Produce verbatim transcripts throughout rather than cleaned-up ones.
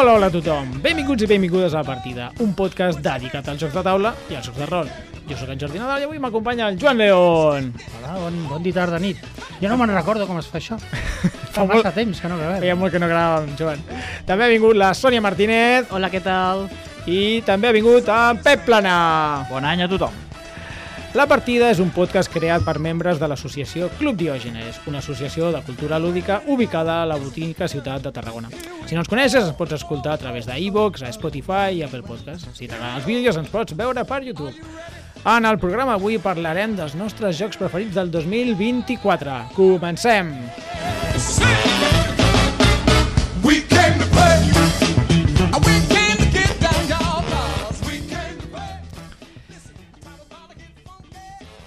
Hola, hola a tothom. Benvinguts i benvingudes a La Partida, un podcast dedicat als jocs de taula i als jocs de rol. Jo sóc en Jordi Nadal i avui m'acompanya el Joan León. Hola, bon, bon dia, tarda, nit. Jo no me'n recordo com es fa això. Fa massa temps que no gravem. Feia molt que no gravàvem, Joan. També ha vingut la Sònia Martínez. Hola, què tal? I també ha vingut en Pep Plana. Bon any a tothom. La Partida és un podcast creat per membres de l'associació Club Diògenes, una associació de cultura lúdica ubicada a la bonica ciutat de Tarragona. Si no ens coneixes, ens pots escoltar a través d'iVoox, a Spotify i Apple Podcast. Si t'agraden els vídeos, ens pots veure per YouTube. En el programa avui parlarem dels nostres jocs preferits del dos mil vint-i-quatre. Comencem! We came to play. We came to get down your balls. We came to play.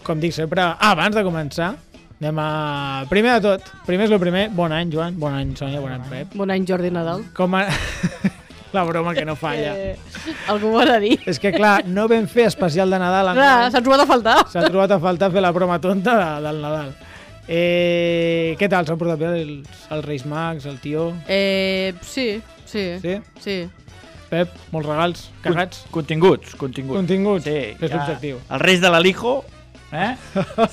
Com dic sempre, abans de començar, anem a... Primer de tot, primer és el primer, bon any, Joan, bon any, Sònia, bon any, Pep. Bon any, Jordi Nadal. Com a... La broma que no falla. Eh, algú ho ha de dir. És que, clar, no vam fer especial de Nadal. Clar, s'ha trobat a faltar. S'ha trobat a faltar fer la broma tonta de, del Nadal. Eh, què tal? S'han portat bé els, els Reis Mags, el tio? Eh, sí, sí, Sí? sí. Pep, molts regals, carregats? Continguts, continguts. Continguts? Sí, Que és ja l'objectiu. Els Reis de l'Alijo eh?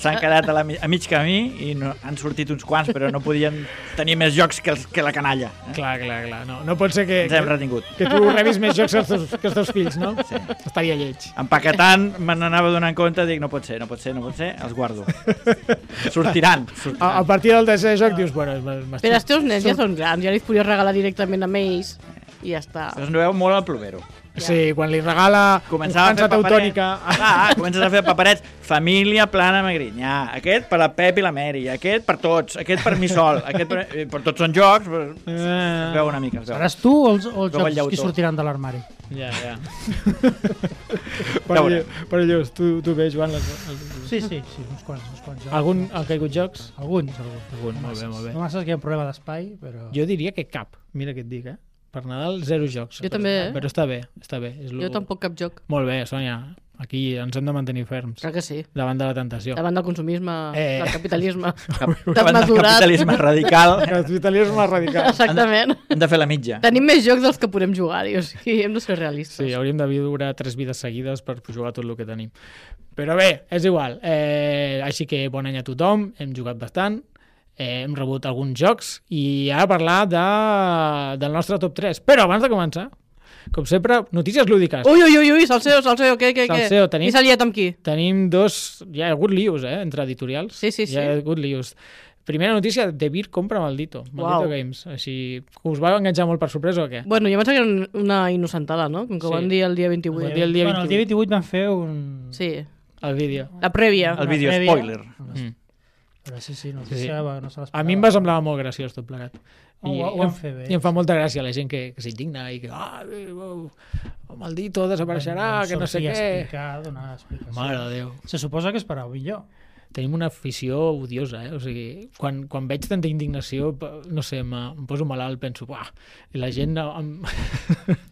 s'han quedat a, la, a mig camí i no, han sortit uns quants, però no podien tenir més jocs que, els, que la canalla. Eh? Clar, clar, clar. No, no pot ser que, Ens hem que, retingut. que tu rebis més jocs que els teus, que els teus fills, no? Sí. Estaria lleig. Empaquetant, me n'anava donant compte, dic, no pot ser, no pot ser, no pot ser, els guardo. Sortiran, sortiran. A, a partir del tercer joc dius, bueno... m'estic- Però els teus nens ja són grans, ja li podries regalar directament amb ells i ja està. Us no veu molt al plomero. Sí, quan li regala Començava un a fer teutònica... Ah, comences a fer paperets. Família Plana Magrinyà. Aquest per la Pep i la Mary. Aquest per tots. Aquest per mi sol. Aquest per, eh, per tots són jocs. Però... Eh, Es veu una mica. Es veu. Seràs tu o els, o els Veu el jocs llautó. que sortiran de l'armari? ja, ja. però, veurem. però llavors, tu, tu bé, Joan, les, els, Sí, sí, sí, uns quants, uns quants jocs. algun han caigut jocs? Alguns, alguns. Algun, molt bé, molt bé. No massa que hi ha un problema d'espai, però... Jo diria que cap, mira què et dic, eh? Per Nadal, zero jocs. Jo però, també, eh? Però està bé, està bé. És lo... Jo tampoc cap joc. Molt bé, Sònia. Aquí ens hem de mantenir ferms Clar que sí. davant de la tentació. Davant del consumisme, Eh. del capitalisme. Cap, davant del Desmesurat. capitalisme radical. Capitalisme radical. Exactament. Hem de fer la mitja. Tenim més jocs dels que podem jugar-hi, o sigui, hem de ser realistes. Sí, hauríem de viure tres vides seguides per jugar tot el que tenim. Però bé, és igual. Eh, així que bon any a tothom, hem jugat bastant, eh, hem rebut alguns jocs i ara parlar de, del nostre top tres. Però abans de començar, com sempre, notícies lúdiques. Ui, ui, ui, ui, Salseo, Salseo, què, què, què? Salseo, tenim- Qui s'ha liat amb qui? Tenim dos... Hi ha hagut lius, eh, entre editorials. Sí, sí, sí. Hi ha hagut lius. Primera notícia, De Beer compra Maldito. Maldito Uau. Games. Així, us va enganxar molt per sorpresa o què? Bueno, jo pensava que era una innocentada, no? Com que Sí. ho van dir el dia vint-i-vuit. Van dir el dia bueno, el dia vint-i-vuit van fer un... Sí, El vídeo. la prèvia. El vídeo prèvia. spoiler. Mm. Però sí, sí, no, Sí, sí. sí, no se l'esperava. A mi em va semblar molt graciós tot plegat. Ho- ho van fer bé. I em fa molta gràcia la gent que, que s'indigna i que ah, eh, oh, oh, Maldito desapareixerà, que no sé què. Explicar, donar explicació. Mare de Déu. Se suposa que esperava millor. Tenim una afició odiosa, eh? O sigui, quan, quan veig tanta indignació, pa- no sé, em, em poso malalt, penso, buah, i la gent... Em...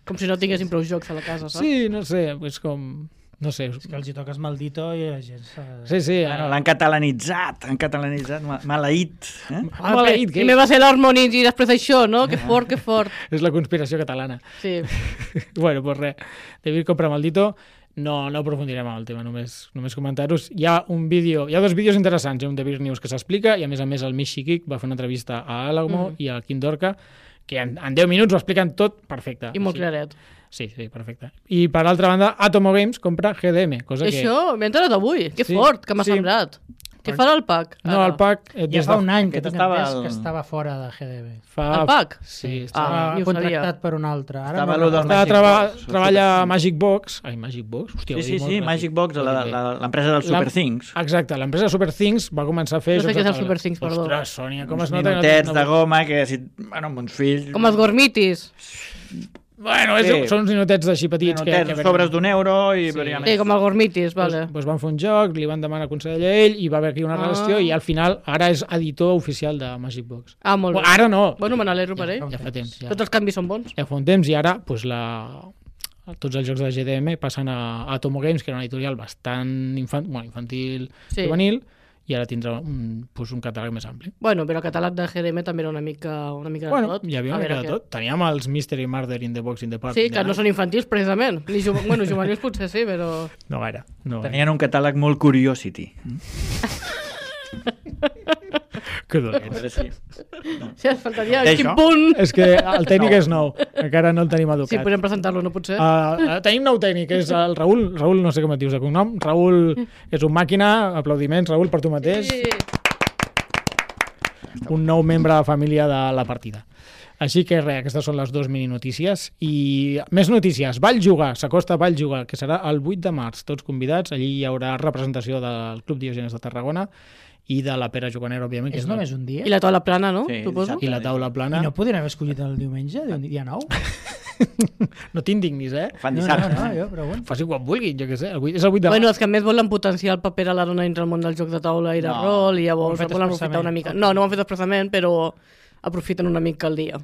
Com si no tinguessin prou jocs a la casa, saps? Sí, no sé, és com... No sé. És que els hi toques Maldito i la gent... Se... Sí, sí. Bueno, l'han catalanitzat, han catalanitzat, ma- maleït. Eh? Ah, maleït, Primer va ser l'Harmonix i després això, no? Que fort, que fort. És la conspiració catalana. Sí. Bueno, pues res, David compra Maldito, no, no aprofundirem en el tema, només, només comentar-vos. Hi ha un vídeo, hi ha dos vídeos interessants, hi ha un David News que s'explica i a més a més el Michi Kik va fer una entrevista a Alamo Mm. i a Quim Dorca que en, en deu minuts ho expliquen tot perfecte. I molt sí. claret. Sí, sí, perfecte. I per altra banda, Atomo Games compra G D M, cosa que... Això, m'he enterat avui. Que Sí, fort, que m'ha sí. semblat. Què farà el pack? No, el pack... Eh, Ja des fa de- un any que Aquest tinc estava entès el- que estava fora de G D B. Fa... El pack? Sí, Ah, estava... ni ho contractat sabia. per un altre. Ara Estava no lo del recordo. Estava Magic treba... Box, treballa a Magic Box. Ai, Magic Box? Hòstia, Sí, ho sí, dic molt sí, ràpid. Magic Box, Ho la- dic bé. la- l'empresa del Super Things. Exacte, l'empresa Super Things va començar a fer... No sé jocs què és de el taula. Super Things, perdó. Ostres, Sònia, com es Uns nota... que no minutets tens de una- goma que, si, bueno, amb uns fills... Com els gormitis. Bueno, és, Sí. són uns ninotets així petits que... Minutets, que sobres d'un euro i... Sí. veuria Sí, més. com els gormitis, Pues, vale. pues van fer un joc, li van demanar consell a ell i va haver aquí una Ah. relació i al final ara és editor oficial de Magic Box. Ah, molt bé. Bueno, ara no, Bueno, me n'alegro per ell. ja fa temps. Ja, Tots els canvis són bons. ja fa un temps i ara pues, la... tots els jocs de G D M passen a Atomo Games, que era una editorial bastant infant... bueno, infantil, Sí. juvenil, i ara tindrà un, pues, un catàleg més ampli. Bueno, però el catàleg de G D M també era una mica, una mica de Bueno, tot. hi havia una mica de tot. Teníem els Mystery Murder in the Box in the Park. Sí, que no són infantils, precisament. Ni ju bueno, juvenils potser sí, però... No gaire. No gaire. Tenien un catàleg molt Curiosity. Que dolent. Sí. Sí, ens faltaria Això? quin punt... És que el tècnic és nou, encara no el tenim educat. Sí, podem presentar-lo, no potser? Uh, tenim nou tècnic, és el Raül. Raül, no sé com et dius de cognom. Raül és un màquina, aplaudiments, Raül, per tu mateix. Sí. Un nou membre de la família de la partida. Així que res, aquestes són les dues mini notícies. I més notícies. Vall Jugar, s'acosta Vall Jugar, que serà el vuit de març. Tots convidats, allí hi haurà representació del Club Diògenes de Tarragona i de la Pera Juganera, òbviament. És només un dia? I la taula plana, no? Sí, Suposo. dissabte. I la taula plana. I no podrien haver escollit el diumenge, el dia nou? No t'indignis, eh? Fan No, no, dissabte. no, jo pregunto. Faci quan vulguin, jo què sé. El vuit, és el vuit de Bueno, març. els que més volen potenciar el paper a la dona dintre el món del joc de taula i de No. rol, i Ho llavors han fet volen expressament. aprofitar una mica. No, no ho han fet expressament, però aprofiten una mica el dia.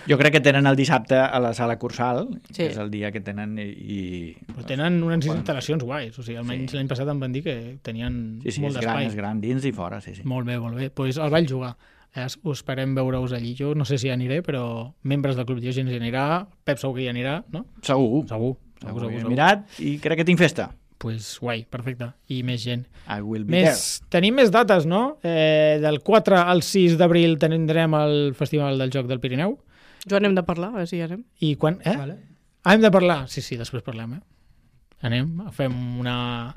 Jo crec que tenen el dissabte a la sala Cursal, Sí. que és el dia que tenen i... i... Però tenen unes instal·lacions guais. O sigui, almenys Sí. l'any passat em van dir que tenien Sí, sí, molt és gran, d'espai. és gran, dins i fora, sí, sí. Molt bé, molt bé. Doncs pues el Vall Jugar. Eh, us esperem veure-us allí. Jo no sé si hi aniré, però membres del Club Diògenes hi anirà. Pep segur que hi anirà, no? Segur. Segur. Segur, Segur, segur, he segur. mirat i crec que tinc festa. Pues guai, perfecte. I més gent. I will be Més, tenim més dates, no? Eh, del quatre al sis d'abril tindrem el Festival del Joc del Pirineu. Joan, hem de parlar, a veure si hi anem. I quan... Eh? Vale. Ah, hem de parlar? Sí, sí, després parlem, eh? Anem, fem una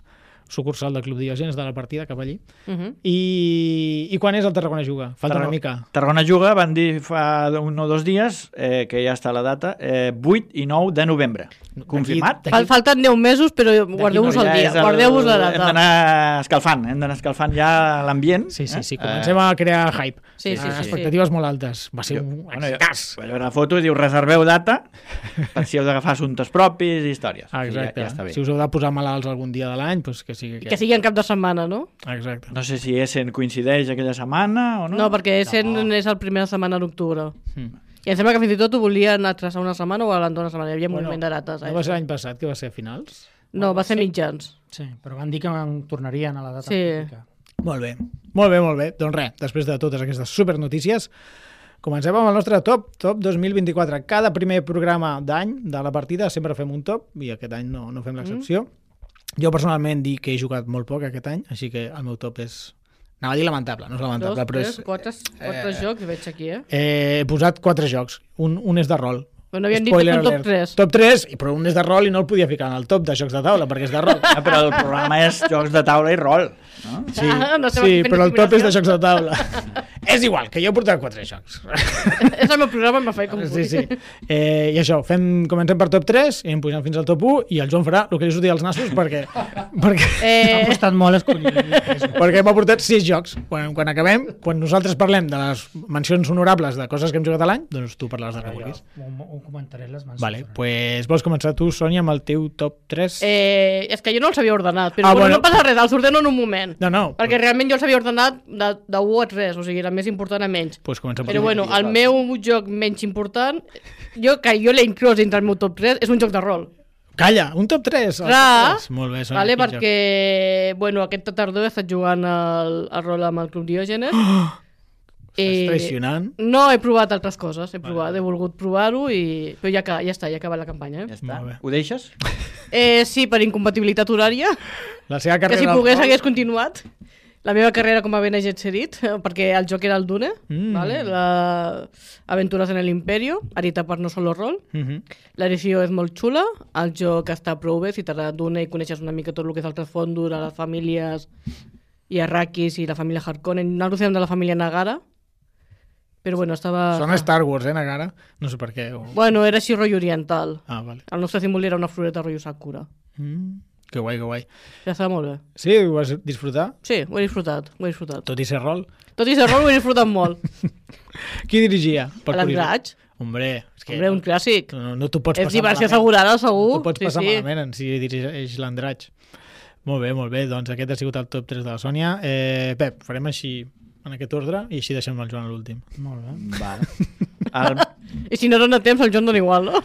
sucursal del Club Diògenes de la partida cap allí. Uh -huh. I, I quan és el Tarragona Juga? Falta Tarragona- una mica. Tarragona Juga, van dir fa un o dos dies, eh, que ja està la data, eh, vuit i nou de novembre. Confirmat? D'aquí- Fal Falten deu mesos, però guardeu-vos Ja el dia, és el- guardeu-vos la Hem data. d'anar escalfant, hem d'anar escalfant ja l'ambient. Sí, sí, sí, Eh? comencem a crear hype. Sí, sí, Eh, sí, sí. expectatives molt altes. Va ser Jo- un bueno, jo- excitàs. Vaig veure la foto i diu reserveu data per si heu d'agafar assumptes propis i històries. Ah, exacte. Ja, ja està bé. Si us heu de posar malalts algun dia de l'any, doncs que sigui aquest. Que sigui en cap de setmana, no? Exacte. No sé si Essen coincideix aquella setmana o no. No, perquè Essen no. és la primera setmana d'octubre. Mm. I em sembla que fins i tot ho volien atrasar una setmana o adelantar una setmana. Hi havia Bueno, moviment de dates. No va ser l'any passat, que va ser a finals? No, va ser mitjans. Sí, però van dir que en tornarien a la data Sí. típica. Molt bé, molt bé, molt bé. Doncs res, després de totes aquestes supernotícies, comencem amb el nostre top, top dos mil vint-i-quatre. Cada primer programa d'any de la partida sempre fem un top, i aquest any no, no fem l'excepció. Mm. Jo personalment dic que he jugat molt poc aquest any, així que el meu top és... Anava a dir lamentable, no és lamentable, Dos, però tres, és... quatre, quatre eh, jocs, veig aquí, eh? Eh, he posat quatre jocs, un, un és de rol. Però no havien dit que Spoiler un top alert. tres. Top tres, però un és de rol i no el podia ficar en el top de jocs de taula, perquè és de rol. Ah, però el programa és jocs de taula i rol. No? Sí, Ah, no sé sí per quina però el top és de combinació. jocs de taula. És igual, que jo he portat quatre jocs. És el meu programa, em fa com Sí, vulgui. sí. Eh, I això, fem, comencem per top tres i em pugem fins al top u i el Joan farà el que li surti als nassos perquè, perquè, M'ha Eh, costat molt escollir. perquè m'ha portat sis jocs. Quan, quan acabem, quan nosaltres parlem de les mencions honorables de coses que hem jugat a l'any, doncs tu parlaràs de que vulguis. Ho, ho comentaré les mans. Vale, pues vols començar tu, Sònia, amb el teu top tres? eh, és que jo no els havia ordenat, però Ah, ah, bueno, bueno. no passa res, els ordeno en un moment. No, no. Perquè realment jo els havia ordenat de, de u a tres, o sigui, era més important a menys. Pues comencem per Però tu. bueno, el meu joc menys important, jo, que jo l'he inclòs dintre el meu top tres, és un joc de rol. Calla, un top tres. el Clar, top tres. Molt bé, Sònia. Vale, quin joc? perquè, bueno, aquesta tardor he estat jugant al, al rol amb el Club Diògenes. Estàs traicionant. No, he provat altres coses, he provat, he volgut provar-ho, i... però ja, ca- ja està, ja ha acabat la campanya. Ja Eh? està. Molt bé. Ho deixes? Eh, sí, per incompatibilitat horària, La seva que carrera... si al pogués rol. hagués continuat. La meva carrera com a Bene Gesserit, perquè el joc era el Dune, Mm. vale? La... Aventuras en el Imperio, edita per No Solo Roll. Mhm. L'edició és molt xula, el joc està prou bé, si t'agrada Dune i coneixes una mica tot el que és el trasfond de les famílies i Arrakis i la família Harkonnen. Nosaltres érem de la família Nagara, però bueno, estava... Sona Star Wars, eh, Nagara? No sé per què. O... Bueno, era així rotllo oriental. Ah, vale. El nostre símbol era una floreta rotllo Sakura. Mm. Que guai, que guai. Ja estava molt bé. Sí, ho vas disfrutar? Sí, ho he disfrutat, ho he disfrutat. Tot i ser rol? Tot i ser rol ho he disfrutat molt. Qui dirigia? Per L'Andratx, Hombre, és que hombre, un clàssic. no, no t'ho pots És passar diversió malament. assegurada, segur. No t'ho pots sí, passar sí. malament en si dirigeix l'Andratx. Molt bé, molt bé. Doncs aquest ha sigut el top tres de la Sònia. Eh, Pep, farem així en aquest ordre i així deixem el Joan a l'últim. Molt bé. Vale. El... I si no dona temps, el Joan dona igual, no?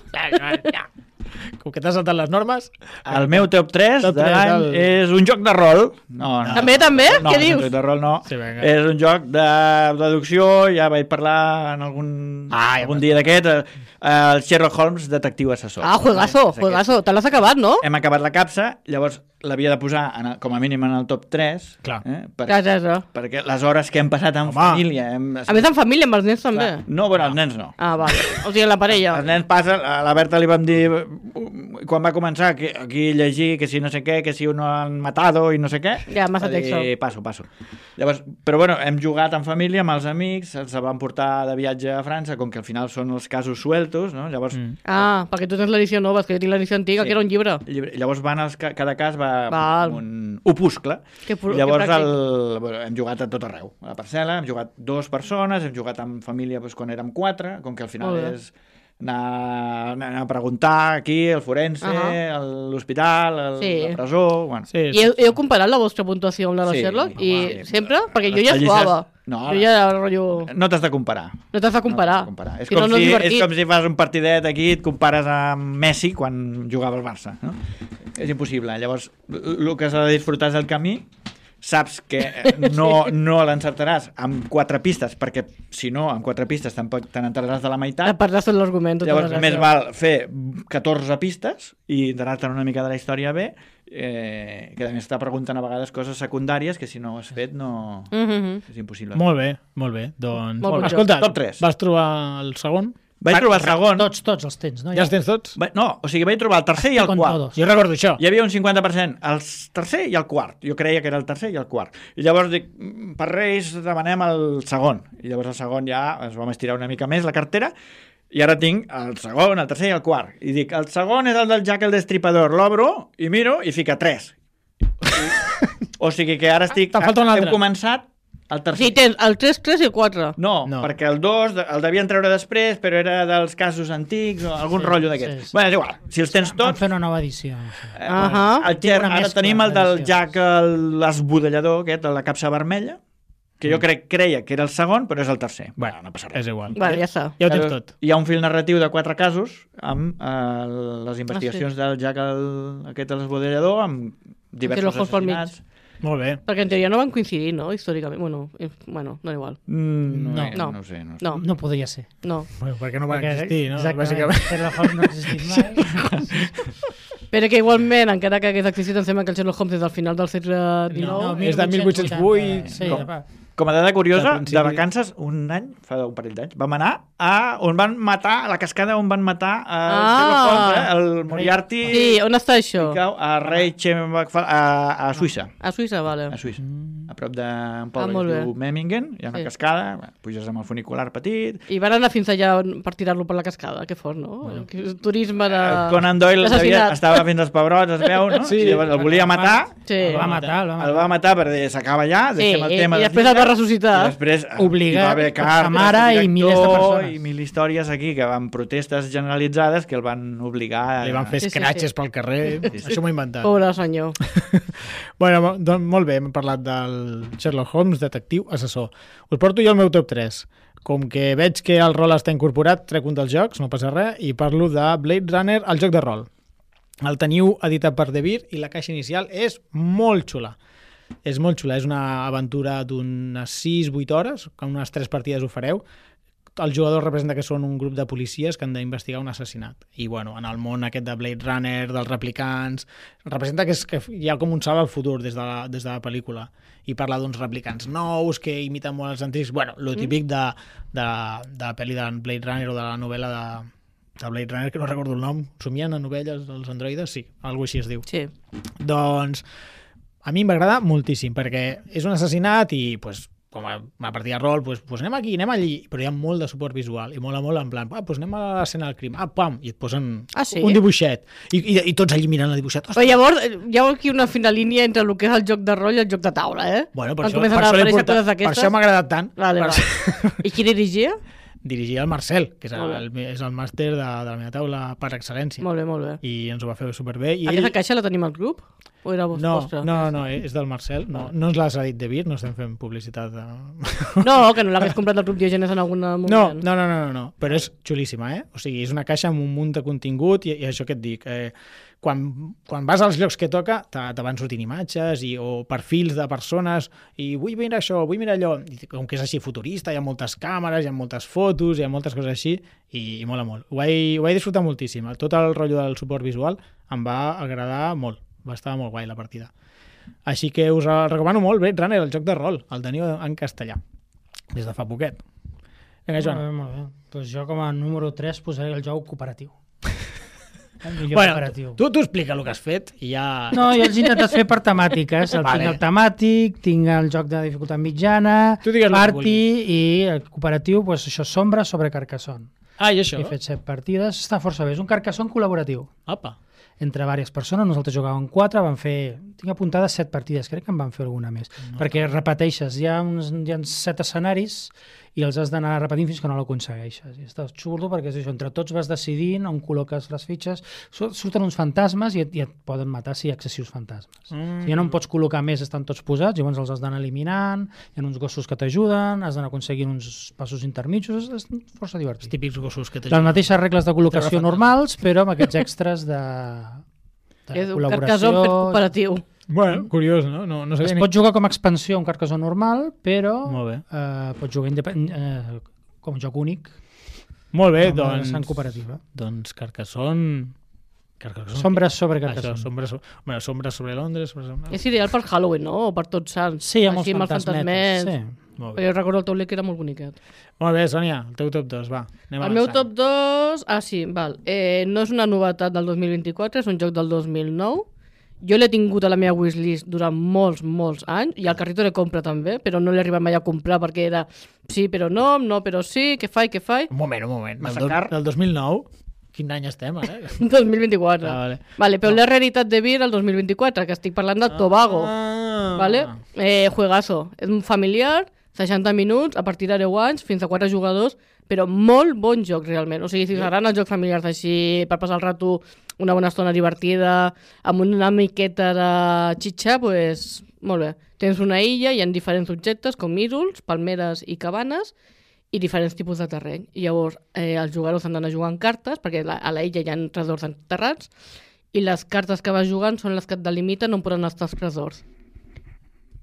Com que t'has saltat les normes... El meu top tres Top de tres, l'any el- és un joc de rol. No, no. També, també? No, Què no, dius? un joc de rol no. Sí, vinga. És un joc de deducció, ja vaig parlar en algun, Ah, ja algun dia d'aquest, eh, el Sherlock Holmes, detectiu assessor. Ah, juegazo, És aquest. juegazo. Te l'has acabat, no? Hem acabat la capsa, llavors l'havia de posar en el, com a mínim en el top tres, Clar. eh, per, Ja, ja, ja. perquè les hores que hem passat en Home. família... Hem, A més, en família, amb els nens també. Clar, no, bueno, els nens no. Ah, vale. O sigui, la parella. Els nens passen, a la Berta li vam dir quan va començar que aquí llegir que si no sé què, que si uno han matado i no sé què. Ja, massa Va dir, texto. Passo, passo. Llavors, però bueno, hem jugat en família amb els amics, els van portar de viatge a França, com que al final són els casos sueltos, no? Llavors, Mm. Ah, perquè tu tens l'edició nova, és que jo tinc l'edició antiga, Sí. que era un llibre. llibre- llavors van els, ca- cada cas va Val. amb un opuscle. Que, pro- Llavors que pràctic. el, bueno, hem jugat a tot arreu. A la parcel·la hem jugat dues persones, hem jugat amb família doncs, quan érem quatre, com que al final Molt bé. és anar, anar a preguntar aquí, el forense, Ahà. el- l'hospital, el- Sí. la presó... Bueno. Sí, I heu, heu comparat la vostra puntuació amb la de Sí, Sherlock? home, I sí. sempre? Perquè jo Les ja pallisses- jugava. No, jo ja era rotllo... No t'has de comparar. No t'has de comparar. No t'has de comparar. És, Si com no, no és si, és divertit. com si fas un partidet aquí i et compares amb Messi quan jugava al Barça. No? És impossible. Llavors, el que s'ha de disfrutar és el camí. Saps que no, no l'encertaràs amb quatre pistes, perquè si no, amb quatre pistes tampoc te n'entraràs de la A meitat. part de tot l'argument. tota Llavors, la més gràcia. val fer catorze pistes i enterar-te una mica de la història bé, eh, que a més està preguntant a vegades coses secundàries que si no ho has fet no... Mhm. és impossible. Molt bé, molt bé. Doncs, Molt bon escolta, joc. Top tres. vas trobar el segon? Vaig trobar el segon... Tots, tots els tens, no? Ja els tens tots? Va- No, o sigui, vaig trobar el tercer i el Con quart. todos. Jo recordo això. Hi havia un cinquanta per cent el tercer i el quart. Jo creia que era el tercer i el quart. I llavors dic, "Mm, per Reis demanem el segon. I llavors el segon ja ens vam estirar una mica més la cartera i ara tinc el segon, el tercer i el quart. I dic, el segon és el del Jack el Destripador. L'obro i miro i fica tres. O sigui que ara estic... Te'n falta un altre. Hem començat el O tercer. sigui, tens el tres, tres i el quatre. No, No. no, perquè el dos el devien treure després, però era dels casos antics o algun Sí, rotllo d'aquest. sí, sí. Bueno, és igual. Si els tens Van tots... fer una nova edició. Eh, Ahà. el Ger, Una ara mescla tenim el del d'edicions. Jack el- l'esbudellador, aquest, de la capsa vermella, que jo crec creia que era el segon, però és el tercer. Bueno, no passa És res. igual. Vale, ja està. Ja ho tens tot. Hi ha un fil narratiu de quatre casos amb eh, les investigacions Ah, del Jack el, aquest l'esbudellador, amb diversos Sherlock Holmes pel mig. assassinats. Molt bé. Perquè en teoria no van coincidir, no? Històricament. Bueno, eh, bueno no igual. Mm, no, No. no, No. no ho sé. No ho sé. No, No podria ser. no. Bueno, perquè no va Perquè- existir, no? Exactament. Bàsicament. Sherlock Holmes no ha existit mai. Però que igualment, encara que hagués existit, em sembla que el Sherlock Holmes és del final del segle dinou. no, és de mil vuit-cents vuit. Sí, Com? va. Com a dada curiosa, Al principi- de vacances, un any, fa un parell d'anys, vam anar a on van matar, a la cascada on van matar a Ah. Sherlock Holmes, eh? el Moriarty, Sí, on està això? i cau a Reichenbach, a, a Suïssa. A Suïssa, vale. A Suïssa. A prop d'un Ah, poble molt que es bé. diu Memmingen, hi ha una Sí. cascada, bueno, puges amb el funicular petit. I van anar fins allà per tirar-lo per la cascada, que fort, no? Que Turisme de... Eh, Conan Doyle d'assassinat. havia, estava fent els pebrots, es veu, no? Sí. I llavors el volia matar, Sí. El va matar, el va el matar. va matar perquè s'acaba allà, Sí, deixem el i- tema i de després el va llibre, ressuscitar. I després eh, Obligat hi va haver per cartes, sa mare del i milers de director persones. i mil històries aquí que van protestes generalitzades que el van obligar a... Li van fer Sí, sí, escratxes sí. pel carrer. Sí, sí. Això m'ho he inventat. Pobre senyor. Bueno, mo- doncs molt bé, hem parlat del Sherlock Holmes, detectiu, assessor. Us porto jo el meu top tres. Com que veig que el rol està incorporat, trec un dels jocs, no passa res, i parlo de Blade Runner, el joc de rol. El teniu editat per De Beer i la caixa inicial és molt xula. És molt xula, és una aventura d'unes sis vuit hores, que en unes tres partides ho fareu. El jugador representa que són un grup de policies que han d'investigar un assassinat. I, bueno, en el món aquest de Blade Runner, dels replicants, representa que, és, que hi ha com un salt al futur des de la, des de la pel·lícula. I parla d'uns replicants nous que imiten molt els antics. Bueno, lo típic de, de, de la pel·li de Blade Runner o de la novel·la de, de Blade Runner, que no recordo el nom. Somien a novelles els androides? Sí, alguna així es diu. Sí. Doncs a mi m'agrada moltíssim perquè és un assassinat i pues, com a, a partida de rol pues, pues anem aquí, anem allí, però hi ha molt de suport visual i mola molt en plan, ah, pues anem a l'escena del crim, ah, pam, i et posen Ah, sí? un dibuixet i, i, i tots allí mirant el dibuixet. Però llavors eh, hi ha aquí una fina línia entre el que és el joc de rol i el joc de taula, eh? Bueno, per Quan això, comencen per a això, l'he aparèixer portat- coses per d'aquestes. això m'ha agradat tant. Vale, Per vale. I qui dirigia? dirigia el Marcel, que és Molt bé. el, és el màster de, de la meva taula per excel·lència. Molt bé, molt bé. I ens ho va fer superbé. I Aquesta caixa la tenim al grup? O era No, vostra? no, no, és del Marcel. No, no ens l'has dit de Vir, no estem fent publicitat de... No, que no l'hagués comprat al Club Diògenes en algun moment. No, no, no, no, no, però és xulíssima, eh? O sigui, és una caixa amb un munt de contingut i, i això que et dic, eh, quan, quan vas als llocs que toca te, te van sortint imatges i, o perfils de persones i vull mirar això, vull mirar allò. I com que és així futurista, hi ha moltes càmeres, hi ha moltes fotos, hi ha moltes coses així i, i mola molt. Ho vaig, ho vaig disfrutar moltíssim. Tot el rotllo del suport visual em va agradar molt. Va estar molt guai la partida. Així que us el recomano molt, Blade Runner, el joc de rol. El teniu en castellà, des de fa poquet. Vinga, Joan. Molt bé, molt bé. Pues jo com a número tres posaré el joc cooperatiu. El millor Bueno, cooperatiu. tu, tu explica el que has fet i ja... No, jo els he intentat fer per temàtiques. El Vale. tinc el temàtic, tinc el joc de dificultat mitjana, Tu digues el que party i el cooperatiu, pues això, sombra sobre Carcassonne. Ah, i això? He fet set partides, està força bé. És un Carcassonne col·laboratiu. Apa. Entre diverses persones, nosaltres jugàvem quatre, van fer, tinc apuntades set partides, crec que en van fer alguna més, no. Perquè repeteixes, hi ha, uns, hi ha set escenaris i els has d'anar repetint fins que no l'aconsegueixes. I està xulo perquè és això, entre tots vas decidint on col·loques les fitxes, surten uns fantasmes i et, i et poden matar si hi ha excessius fantasmes. Mm. Si ja no en pots col·locar més, estan tots posats, llavors els has d'anar eliminant, hi ha uns gossos que t'ajuden, has d'anar aconseguint uns passos intermitjos, és força divertit. Els típics gossos que Les t'ajuden. mateixes regles de col·locació normals, però amb aquests extres de, de És un col·laboració. Carcassonne fet cooperatiu. Bueno, curiós, no? No, no Es sabia ni... pot jugar com a expansió un Carcassonne normal, però Molt bé. eh, pots jugar independ... eh, com a joc únic, Molt bé, com a doncs... vessant cooperativa. Doncs Carcassonne... Carcassonne... Sombres sobre Això, Carcassonne. sombres, so... bueno, sombres sobre Londres... Sobre... sobre... És ideal per Halloween, no? O per tots sants. Sí, hi ha molts Així, amb els fantasmetes. fantasmets. Sí. Molt bé. Perquè jo recordo el tauler que era molt boniquet. Molt bé, Sònia, el teu top dos, va. Anem El meu avançant. top dos... Ah, sí, val. Eh, no és una novetat del dos mil vint-i-quatre, és un joc del dos mil nou. Jo l'he tingut a la meva wishlist durant molts, molts anys, i al carrito de compra també, però no l'he arribat mai a comprar perquè era sí, però no, no, però sí, què faig, què faig? Un moment, un moment. Del, Massa do... car. del dos mil nou? Quin any estem, ara? dos mil vint-i-quatre. Ah, vale. Vale, però no. L'he reeditat de Vir el dos mil vint-i-quatre, que estic parlant del Tobago. Ah. Vale? Eh, juegazo. És un familiar, seixanta minuts, a partir de deu anys, fins a quatre jugadors, però molt bon joc, realment. O sigui, si us agraden els jocs familiars així, per passar el rato una bona estona divertida, amb una miqueta de xitxa, pues, molt bé. Tens una illa, hi ha diferents objectes, com ídols, palmeres i cabanes, i diferents tipus de terreny. I llavors, eh, els jugadors han d'anar jugant cartes, perquè la, a la illa hi ha tresors enterrats, i les cartes que vas jugant són les que et delimiten on poden estar els tresors.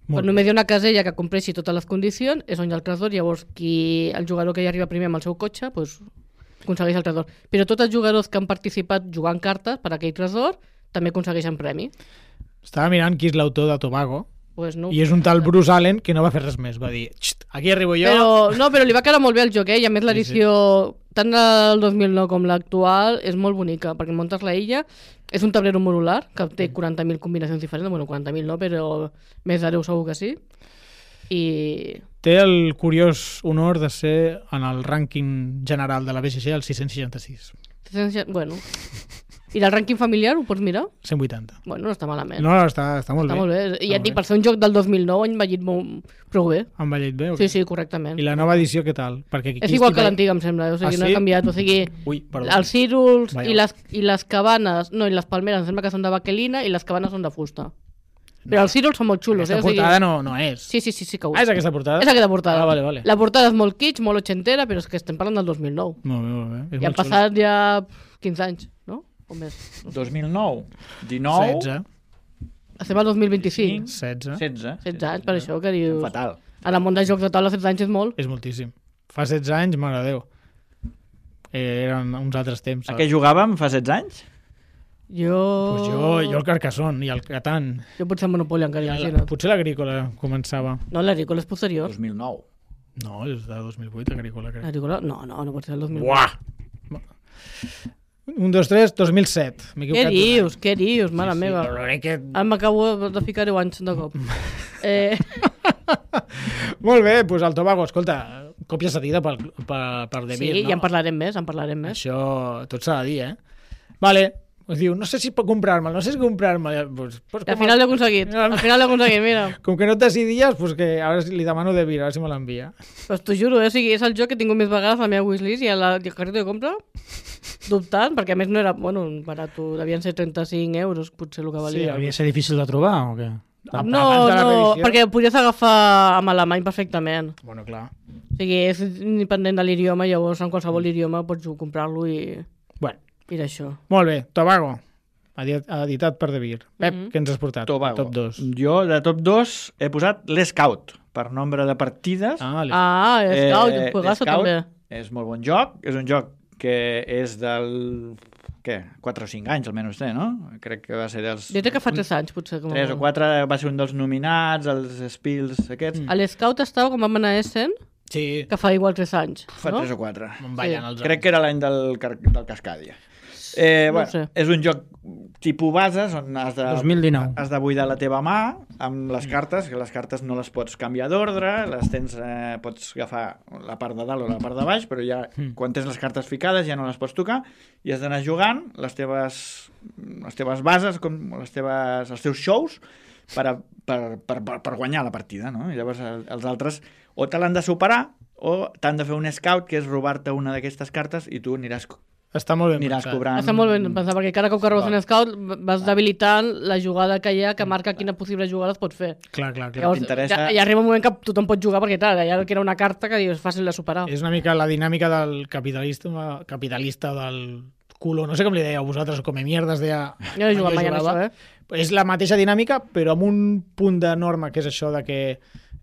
Però només hi ha una casella que compleixi totes les condicions, és on hi ha el tresor, llavors qui, el jugador que hi arriba primer amb el seu cotxe pues, aconsegueix el tresor. Però tots els jugadors que han participat jugant cartes per aquell tresor també aconsegueixen premi. Estava mirant qui és l'autor de Tobago, Pues no. i és un tal Bruce Allen que no va fer res més. Va dir, aquí arribo jo... Però, no, però li va quedar molt bé el joc, eh? I a més l'edició, sí, sí. tant del dos mil nou com l'actual, és molt bonica, perquè muntes la illa, és un tablero modular, que té quaranta mil combinacions diferents, bueno, quaranta mil no, però més de deu segur que sí. I... Té el curiós honor de ser en el rànquing general de la B G G el sis-cents seixanta-sis. Bueno... I del rànquing familiar ho pots mirar? cent vuitanta. Bueno, no està malament. No, no, està, està molt Està bé. molt bé. I ja Està et dic, molt per ser un joc del dos mil nou, han envellit molt... prou bé. Han ballet bé? o Sí, què? sí, correctament. I la nova edició què tal? Perquè aquí És igual que estic- l'antiga, em sembla. O sigui, Ah, no sí? ha canviat. O sigui, Ui, perdó. els círuls Vaja. i les, i les cabanes... No, i les palmeres em sembla que són de baquelina i les cabanes són de fusta. Però els círuls són molt xulos, Aquesta eh? O sigui... portada no, no és. Sí, sí, sí, sí que ho Ah, és aquesta portada? És aquesta portada. Ah, vale, vale. La portada és molt kitsch, molt ochentera, però és que estem parlant del dos mil nou. Molt bé, molt bé. És I han molt xulo. passat ja quinze anys, no? O més. dos mil nou, dinou, setze. Estem al dos mil vint-i-cinc. setze. setze. setze anys, per això que dius... Fatal. En el món dels jocs de taula, setze anys és molt. És moltíssim. Fa setze anys, mare de Déu. Eh, eren uns altres temps. A què jugàvem fa setze anys? Jo... Pues jo, jo el Carcassonne i el Catan. Jo potser el Monopoly encara, La, imagina't. potser l'Agrícola començava. No, l'Agrícola és posterior. dos mil nou. No, és de dos mil vuit, Agrícola, crec. L'Agrícola? No, no, no pot ser el dos mil vuit. Buah! Un, dos, tres, dos mil set. M'he Què equivocat d'un any. dius? Què dius, mare Sí, meva? però crec que... Ara m'acabo de ficar deu anys de cop. eh, Molt bé, doncs el Tobago, escolta, còpia cedida per, per, per De sí, Beer, no? ja en parlarem més, en parlarem més. Això tot s'ha de dir, eh? Vale, Diu, no sé si puc comprar-me'l, no sé si comprar-me'l. Pues, pues, I al final l'he aconseguit. Al final l'he aconseguit, mira. Com que no et decidies, pues que ara li demano de vir, a veure si me l'envia. Pues t'ho juro, eh? O sigui, és el joc que he tingut més vegades a la meva wishlist i a la carreta de compra, dubtant, perquè a més no era, bueno, barat, devien ser trenta-cinc euros, potser el que valia. Sí, havia de ser difícil de trobar o què? Abans No, de la no, reedició. perquè ho podies agafar amb alemany perfectament. Bueno, clar. O sigui, és independent de l'idioma, llavors en qualsevol idioma pots comprar-lo i, Bueno, i d'això. molt bé, Tobago, edi- editat per De Beer. Pep, Mhm. què ens has portat? Tobago. Top dos. Jo, de top dos, he posat l'Scout, per nombre de partides. Ah, les... Ah, Scout, un juegazo l'Scout també. és molt bon joc. És un joc que és del... Què? quatre o cinc anys, almenys té, no? Crec que va ser dels... Jo crec que fa tres anys, potser. Com a tres o molt. quatre va ser un dels nominats, els Spills aquests. A l'Scout estava com vam anar a Essen, Sí, que fa igual tres anys, Fa no? tres o quatre. me'n ballen Sí. els Crec que era l'any del, car- del Cascadia. Eh, No bueno, ho sé. És un joc tipus bases on has de, dos mil dinou. has de buidar la teva mà amb les cartes, que les cartes no les pots canviar d'ordre, les tens, eh, pots agafar la part de dalt o la part de baix, però ja Mm. quan tens les cartes ficades ja no les pots tocar i has d'anar jugant les teves, les teves bases, com les teves, els teus shows per, a, per, per, per, per guanyar la partida, no? I llavors el- els altres o te l'han de superar o t'han de fer un scout, que és robar-te una d'aquestes cartes i tu aniràs, Està molt ben aniràs pensat. cobrant... Està molt ben pensat, perquè cada cop que robes Val. un scout vas debilitant la jugada que hi ha que marca quina possible jugada es pot fer. Clar, clar, clar. Llavors, t'interessa- ja, ja arriba un moment que tothom pot jugar perquè, clar, ja que era una carta que dius, és fàcil de superar. És una mica la dinàmica del capitalista, capitalista del culo, no sé com li dèieu vosaltres, com a mierdes deia... Jo no he jugat mai en jugava. això, eh? És la mateixa dinàmica, però amb un punt de norma, que és això de que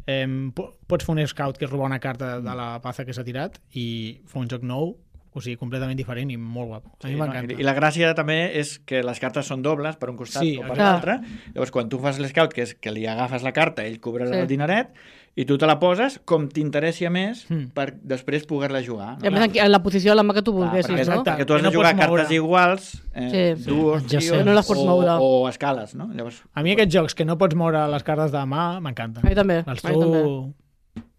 eh, po- pots fer un scout que és robar una carta de la paza que s'ha tirat i fer un joc nou, o sigui, completament diferent i molt guapo. A mi Sí, no? m'encanta. I, I la gràcia també és que les cartes són dobles per un costat Sí, o per clar. l'altre. Llavors, quan tu fas l'scout, que és que li agafes la carta, ell cobrarà Sí. el dineret, i tu te la poses com t'interessi a més Mm. per després poder-la jugar. I a més, en, en la posició de la mà que tu Clar, volguessis, perquè, no? exacte. perquè tu has Que de no jugar pots cartes moure. iguals, eh, Sí. duos, Adjacents. trios, No les pots o, moure. o escales, no? Llavors, A mi aquests jocs que no pots moure les cartes de la mà m'encanten. A mi també, Els a mi també. trobo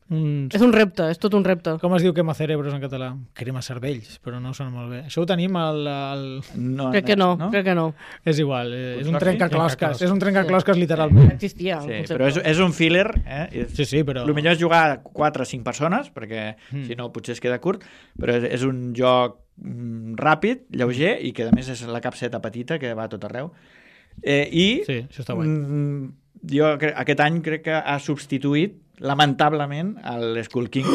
uns... És un repte, és tot un repte. Com es diu quema cerebros en català? Crema cervells, però no sona molt bé. Això ho tenim al... al... no, Crec que no, no? crec que no. És igual, eh, és un Potser sí, trencaclosques. trencaclosques. És un trencaclosques literalment. Existia. el Sí, concepte. però és, és un filler, eh? I Sí, sí, però... El millor és jugar quatre o cinc persones, perquè Mm. si no potser es queda curt, però és, és un joc mm, ràpid, lleuger, i que a més és la capseta petita que va a tot arreu. Eh, I Sí, això està guai. mm, jo cre- aquest any crec que ha substituït, lamentablement, el Skull King a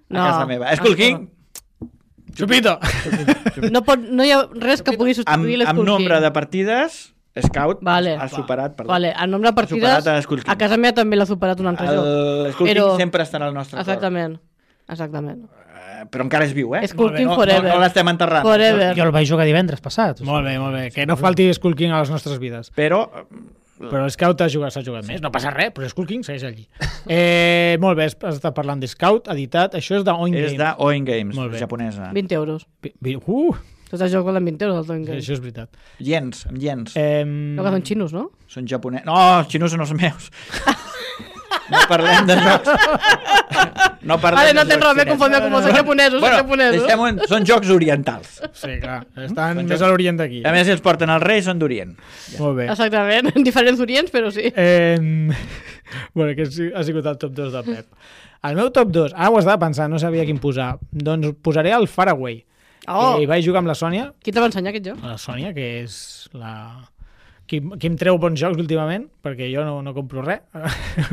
No. casa meva. Skull King, Chupito! No, pot, no hi ha res que pugui amb, substituir amb l'Skull nombre King. de partides, Scout Vale. ha superat, perdó, Vale, el nombre de ha partides superat a Skull King. a casa meva també l'ha superat un altre joc. El Skull Però- King sempre estarà al nostre cor. Exactament. Exactament. Eh, Però encara és viu, eh? Skull King no, forever. No, no l'estem enterrant. Forever. Jo el vaig jugar divendres passat. Molt bé, molt bé. Que no falti Skull King a les nostres vides. Però Però Scout ha jugat, s'ha jugat més. No passa res, però Skull King segueix allí. Eh, molt bé, has estat parlant de Scout, editat. Això és d'Oin és Games. de Oin Games, Molt bé. japonesa. vint euros. Vi- vi- Uh, Tots els jocs valen vint euros, el Toy Game. això és veritat. Yens, amb yens. Eh, No, que són xinos, no? Són japonesos. No, els xinos són els meus. No parlem de jocs. No parlem Vale, no de tens jocs res, m'he xinesos. confondit com són japonesos, són japonesos. deixem-ho, són jocs orientals. sí, clar. Estan Són més jocs- a l'orient d'aquí. A més, si els porten al rei, són d'Orient. Molt bé. Exactament, en diferents orients, però sí. Eh, bueno, aquest sí- ha sigut el top dos del Pep. El meu top dos, ara ho estava pensant, no sabia quin posar. Doncs posaré el Faraway. Oh, Eh, hi vaig jugar amb la Sònia, qui te va ensenyar aquest joc? la Sònia, que és la... Qui, qui em treu bons jocs últimament, perquè jo no, no compro res.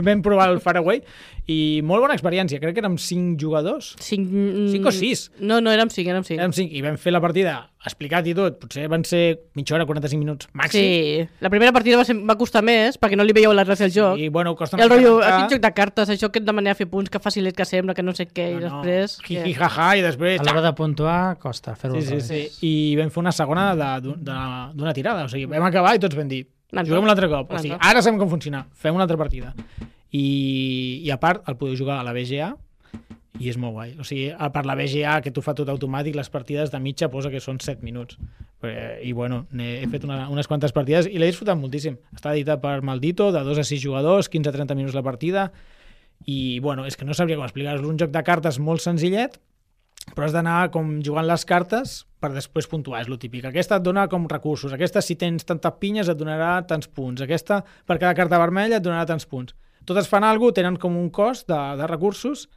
Vam provar el Faraway i molt bona experiència. Crec que érem cinc jugadors. Cinc, Cinc o sis? No, no, érem cinc, érem cinc. Érem cinc i vam fer la partida explicat i tot. Potser van ser mitja hora, quaranta-cinc minuts màxim. Sí, la primera partida va, ser, va costar més, perquè no li veieu la gràcia al joc. I bueno, costa I el una mica rotllo, arrencar. aquest joc de cartes, això que et demana fer punts, que facilet que sembla, que no sé què, i No, no. després... Jiji, què? jaja, i després... A l'hora de puntuar costa fer-ho. Sí, al sí, revés. sí. I vam fer una segona de- de- de- d'una tirada. O sigui, vam acabar i tots vam dir, Un altre. juguem un altre cop. O Un sigui, altre. ara sabem com funciona. Fem una altra partida. I, i a part, el podeu jugar a la B G A i és molt guai. O sigui, a part la B G A, que t'ho fa tot automàtic, les partides de mitja posa que són set minuts. Eh, I bueno, n'he- he fet una, unes quantes partides i l'he disfrutat moltíssim. Està editat per Maldito, de dos a sis jugadors, quinze a trenta minuts la partida, i bueno, és que no sabria com explicar-vos. És un joc de cartes molt senzillet, però has d'anar com jugant les cartes per després puntuar, és lo típic. Aquesta et dona com recursos, aquesta si tens tantes pinyes et donarà tants punts, aquesta per cada carta vermella et donarà tants punts. Totes fan alguna cosa, tenen com un cost de, de recursos,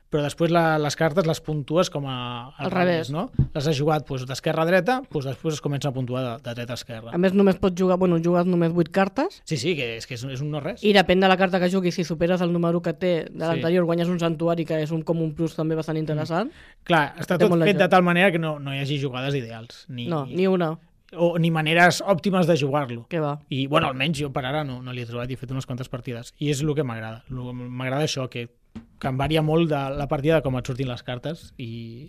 però després la, les cartes les puntues com a, al revés, no? Les has jugat doncs, d'esquerra a dreta, doncs després es comença a puntuar de, de dreta a esquerra. A més, només pots jugar, bueno, jugues només vuit cartes. Sí, sí, que és, que és, és un no res. I depèn de la carta que juguis, si superes el número que té de l'anterior, sí. guanyes un santuari, que és un, com un plus també bastant interessant. Mm. Clar, està tot fet de tal manera que no, no hi hagi jugades ideals. Ni, no, ni una. O ni maneres òptimes de jugar-lo. Què va? I, bueno, almenys jo per ara no, no l'he trobat i he fet unes quantes partides. I és el que m'agrada. M'agrada això, que, que em varia molt de la partida de com et surtin les cartes i,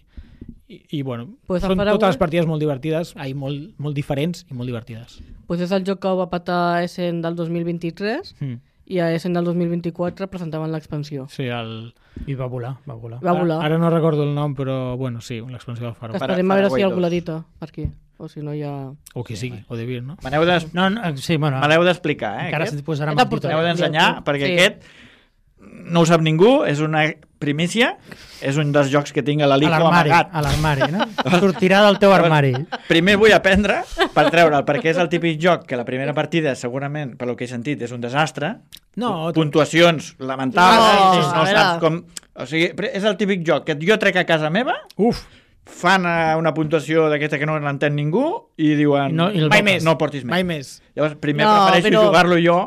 i, i bueno, pues són totes les partides molt divertides, ai, molt, molt diferents i molt divertides. Pues és el joc que ho va patar Essen del dos mil vint-i-tres mm. i a Essen del dos mil vint-i-quatre presentaven l'expansió. Sí, el... I va volar, va volar. Va volar. Ara, ara no recordo el nom, però bueno, sí, l'expansió del Faro. Esperem a veure si algú l'edita per aquí. O si no hi ha... O qui sigui, o de Vir, no? Me n'heu no, no, sí, bueno, d'explicar, eh? Encara se't posarà amb el M'heu d'ensenyar, perquè sí. aquest no ho sap ningú, és una primícia, és un dels jocs que tinc a la Lico amagat. A l'armari, no? Sortirà del teu armari. Primer vull aprendre per treure'l, perquè és el típic joc que la primera partida, segurament, per lo que he sentit, és un desastre. No, puntuacions lamentables, no, no, no saps com... O sigui, és el típic joc que jo trec a casa meva, uf, fan una puntuació d'aquesta que no l'entén ningú i diuen no, i mai més, no el portis més. Mai més. Llavors, primer no, prefereixo però... jugar-lo jo,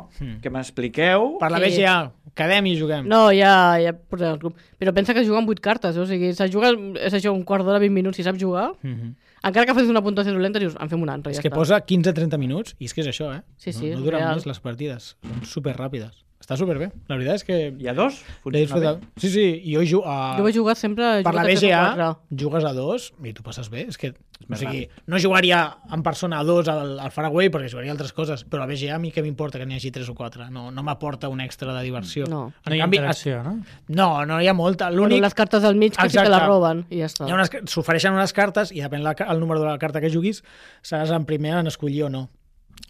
que m'expliqueu. Per la Sí. B G A, quedem i juguem. No, ja, ja portem el club. Però pensa que juguen vuit cartes, eh? O sigui, se juga, és això, un quart d'hora, vint minuts, si saps jugar. Mm-hmm. Encara que facis una puntuació dolenta, dius, en fem una altra, És ja que està. posa quinze a trenta minuts, i és que és això, eh? Sí, sí, no, no duren real. més les partides, són superràpides. Està superbé. La veritat és que... Hi ha dos? L'he disfrutat. Sí, sí, i jo jugo a... Jo vaig jugar sempre... Per la B G A quatre. jugues a dos i tu passes bé. És que, o sigui, no jugaria en persona a dos al, al Faraway perquè jugaria altres coses, però a B G A a mi què m'importa que n'hi hagi tres o quatre? No, no m'aporta un extra de diversió. No. No hi ha interacció, no? No, no hi ha molta. Bueno, L'únic... les cartes del mig que sí que la roben i ja està. Hi ha unes... S'ofereixen unes cartes i depèn la, el número de la carta que juguis seràs en primer en escollir o no.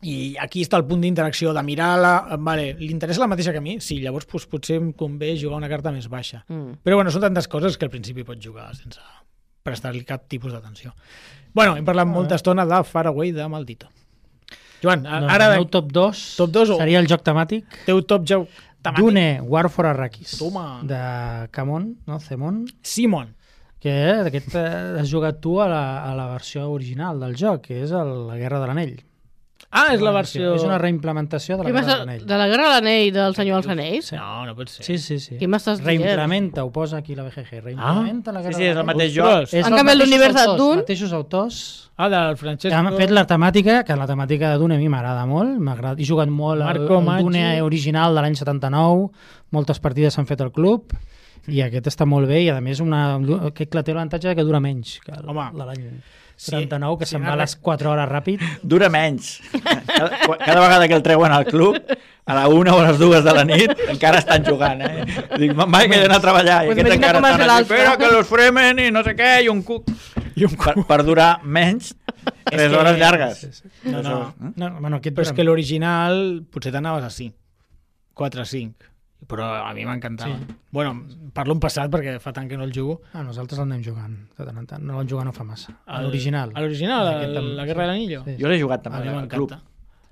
I aquí està el punt d'interacció, de mirar-la... Vale, li interessa la mateixa que a mi? Sí, llavors pues, potser em convé jugar una carta més baixa. Mm. Però bueno, són tantes coses que al principi pots jugar sense prestar-li cap tipus d'atenció. Bueno, hem parlat ah, molta estona de Faraway de Maldito. Joan, no, ara... El meu top dos, top dos o... seria el joc temàtic. Teu top joc temàtic? Dune, War for Arrakis. Toma. De Camon, no? Cemon. Simon. Que aquest has jugat tu a la, a la versió original del joc, que és el, la Guerra de l'Anell. Ah, és la versió... És una reimplementació de la Guerra de l'Anell. De la Guerra de l'Anell del Senyor dels Anells? Sí. No, no pot ser. Sí, sí, sí. Què m'estàs dient? Reimplementa, ho posa aquí la B G G. Reimplementa ah? la Guerra sí, sí, és el mateix joc. joc. És en canvi, l'univers de Dune... Els mateixos autors... Ah, del Francesc... Han fet la temàtica, que la temàtica de Dune a mi m'agrada molt. M'agrada. He jugat molt al Dune original de l'any setanta-nou. Moltes partides s'han fet al club. I aquest està molt bé i, a més, una... aquest té l'avantatge que dura menys que l'any setanta-nou, que sí, se'n va a les quatre hores ràpid. Dura menys. Cada, cada vegada que el treuen al club, a la una o a les dues de la nit, encara estan jugant, eh? Dic, mai que he d'anar a treballar. I pues aquests encara estan aquí, espera que los fremen i no sé què, i un cuc. I un cuc. Per, per durar menys tres hores llargues. Sí, sí. No, no, no, no, bueno, aquest, però és que l'original potser t'anaves a cinc. quatre a cinc. Però a mi m'encantava. Sí. Bueno, parlo en passat perquè fa tant que no el jugo. Ah, nosaltres l'anem jugant de tant en tant. No l'hem jugat no fa massa. A l'original. A l'original, la Guerra de l'Anillo? Sí. Jo l'he jugat també al club.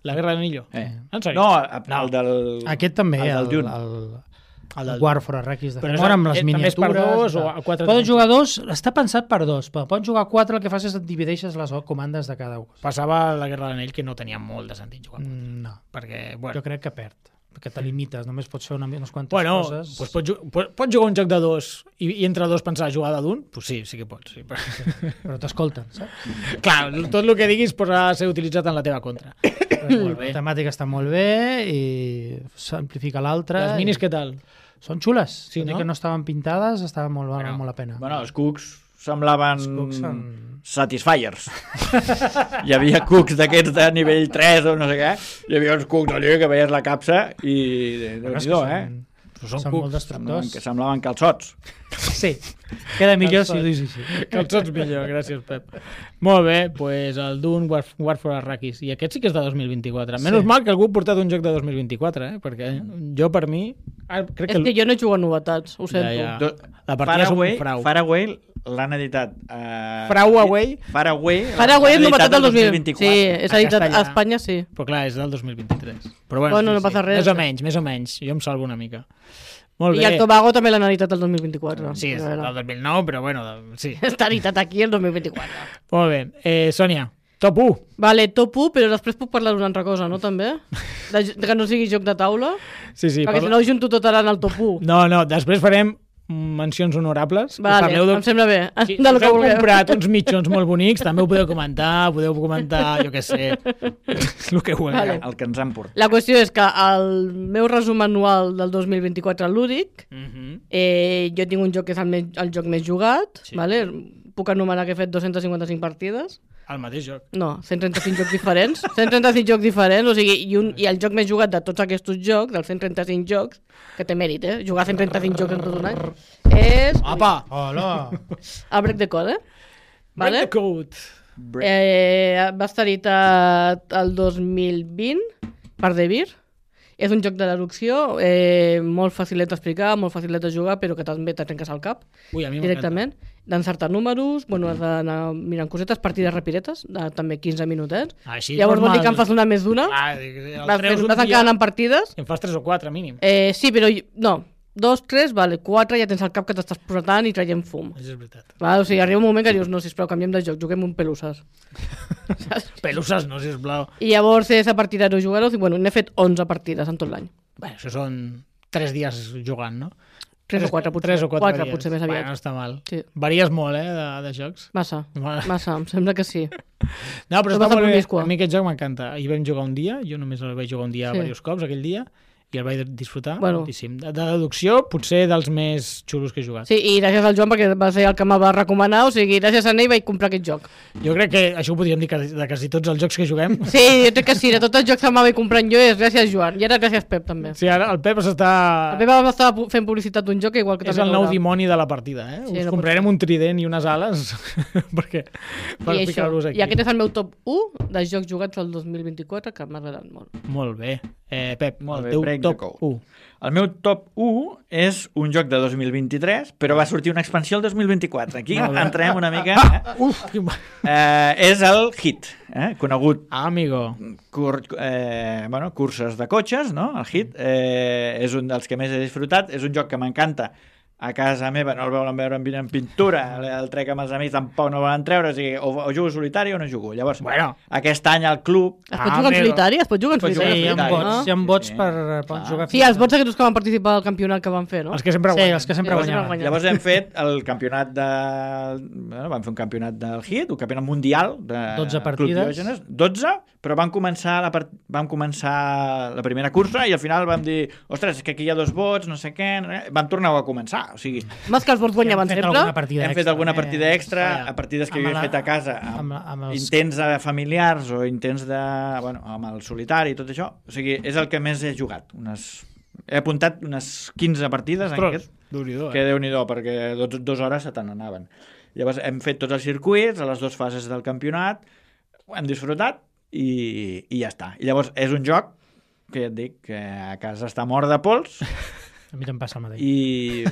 La Guerra de l'Anillo? Eh. En sèrio? No, el del... Aquest també, el del el, el, el War for Arrakis de Femor, amb les miniatures. També és per dos o a quatre? Poden jugar dos, està pensat per dos, però poden jugar quatre, el que fas és et divideixes les comandes de cada un. Passava la Guerra de l'Anell que no tenia molt de sentit jugar. No. Perquè, bueno... Jo crec que perd. Que te limites, només pots fer una, unes quantes bueno, coses. Pues pots, pots, pots jugar un joc de dos i, i entre dos pensar jugar de d'un? Pues sí, sí que pots. Sí, però sí, però t'escolten, saps? Clar, tot el que diguis podrà ser utilitzat en la teva contra. Molt bé. La temàtica està molt bé i s'amplifica l'altra. Les minis i... què tal? Són xules. Sí, no? Que no estaven pintades, estaven molt, bueno, molt la pena. Bueno, els cucs semblaven cucs són... Satisfiers. Hi havia cucs d'aquests de nivell tres o no sé què. Hi havia uns cucs allà que veies la capsa i... Déu-n'hi-do, eh? Són, són molt destructors. Que semblaven calçots. Sí, queda millor si ho dius així. Calçots millor, gràcies, Pep. Molt bé, doncs pues el Dune War, War for Arrakis. I aquest sí que és de dos mil vint-i-quatre. Menys sí. Mal que algú ha portat un joc de dos mil vint-i-quatre, eh? Perquè jo, per mi, Ah, crec És que jo no he jugat novetats, ho sento. Ja, ja. Do- La partida és un Faraway, frau. Faraway l'han editat... Uh, Faraway? Faraway. Faraway és l'han novetat del dos mil vint-i-quatre. Sí, és editat castellà. a Espanya, sí. Però clar, és del dos mil vint-i-tres. Però bueno, Bueno, sí, no passa sí. res. Més o menys, més o menys. Jo em salvo una mica. Molt I bé. el Tobago també l'han editat el dos mil vint-i-quatre. Sí, és A del veure. dos mil nou, però bueno, de- sí. Està editat aquí el dos mil vint-i-quatre. Molt bé. Eh, Sònia, top u. Vale, top u, però després puc parlar d'una altra cosa, no, també? De, de que no sigui joc de taula? Sí, sí. Perquè parla- si no ho junto tot ara en el top u. No, no, després farem mencions honorables. Vale, Parleu de... em sembla bé. Si, De si lo que heu vulgueu. comprat uns mitjons molt bonics, també ho podeu comentar, podeu comentar, jo què sé, el que vulgueu. Vale. El que ens han portat. La qüestió és que el meu resum anual del dos mil vint-i-quatre lúdic, Mhm. eh, jo tinc un joc que és el, més, el joc més jugat, Sí. vale? Puc anomenar que he fet dos-cents cinquanta-cinc partides. El mateix joc. No, cent trenta-cinc jocs diferents. cent trenta-cinc jocs diferents, o sigui, i, un, i el joc més jugat de tots aquests jocs, dels cent trenta-cinc jocs, que té mèrit, eh? Jugar cent trenta-cinc jocs en tot un any, és Apa! Hola! el Break the Code, eh? Break Vale? the code. Eh, va estar editat el dos mil vint per Devir. És un joc de deducció, eh, molt facilet d'explicar, molt facilet de jugar, però que també te trenques al cap Ui, a mi m'encanta. directament. D'encertar números, bueno, has d'anar mirant cosetes, partides rapidetes, de també quinze minutets. Així, Llavors vol dir normal. que en fas una més d'una. Ah, dic, el Vas, treus fent, un vas dia acabant en partides. i en fas tres o quatre, mínim. Eh, sí, però jo- no, dos, tres, vale, quatre ja tens al cap que t'estàs posant i traient fum. Això és veritat. Val? O sigui, arriba un moment que dius, no, sisplau, canviem de joc, juguem un pelusses. Saps? Pelusses no, sisplau. I llavors és a partir de no jugar-ho, i bueno, n'he fet onze partides en tot l'any. Bé, això són tres dies jugant, no? Tres o quatre, potser. Tres o quatre, Quatre, dies. potser més aviat. Bueno, no està mal. Sí. Varies molt, eh, de, de jocs. Massa, Vale. massa, em sembla que sí. No, però Això està passa molt bé. promiscua. A mi aquest joc m'encanta. Ahir vam jugar un dia, jo només el vaig jugar un dia Sí. diversos cops aquell dia, i el vaig disfrutar Bueno. moltíssim. De, de deducció, potser dels més xulos que he jugat. Sí, i gràcies al Joan perquè va ser el que me va recomanar, o sigui, gràcies a ell vaig comprar aquest joc. Jo crec que això ho podríem dir quasi- de quasi tots els jocs que juguem. Sí, jo crec que sí, de tots els jocs que me vaig comprant jo és gràcies Joan, i ara gràcies Pep també. Sí, ara el Pep s'està... El Pep va estar fent publicitat d'un joc que igual que És també el nou veurà. dimoni de la partida, eh? Sí, Us no pot comprarem ser. un trident i unes ales perquè, per I, això, ficar-los aquí. I aquest és el meu top u de jocs jugats al dos mil vint-i-quatre que m'ha agradat molt. Molt bé. Eh, Pep, Molt el bé, teu Break the top Code. u. El meu top u és un joc de dos mil vint-i-tres, però va sortir una expansió el dos mil vint-i-quatre. Aquí entrem una mica... Eh? Uf, quin... Eh, és el Hit, eh? conegut Ah, amigo. cur eh, bueno, curses de cotxes, no? El Hit eh, és un dels que més he disfrutat, és un joc que m'encanta. A casa meva no el volen veure en, en pintura, el trec amb els amics tampoc no volen treure, o sigui, o, o jugo solitari o no jugo. Llavors, Bueno. aquest any al club... Es pot Ah, jugar en amigo. solitari? Es pot jugar en Es pot jugar solitari? Sí, hi ha solitari. vots, Ah. hi ha vots Sí. per, per Clar. jugar. Sí, els vots aquests que van participar al campionat que van fer, no? Els que sempre Sí, guanyen. els que sempre Sí, guanyaven. guanyen. Llavors hem fet el campionat de... Bueno, vam fer un campionat del Hit, un campionat mundial de dotze Club partides. Diògenes. dotze, però vam començar, la part... vam començar la primera cursa i al final vam dir, ostres, és que aquí hi ha dos vots, no sé què... no sé què. Vam tornar a començar, o sigui, Més que els vots guanyaven Hem fet sempre? alguna partida hem fet extra, alguna eh? partida extra, Vaja. a partides que Amb jo he la- fet a casa, amb, amb la- amb els- intents de familiars o intents de... Bueno, amb el solitari i tot això. O sigui, és el que més he jugat. Unes... He apuntat unes quinze partides en Ostres, aquest, Déu-n'hi-do, que eh? déu-n'hi-do, perquè dos, dues hores se te n'anaven. Llavors hem fet tots els circuits, a les dues fases del campionat, ho hem disfrutat i, i ja està. I llavors és un joc que ja et dic que a casa està mort de pols A mi te'n passa el mateix. i...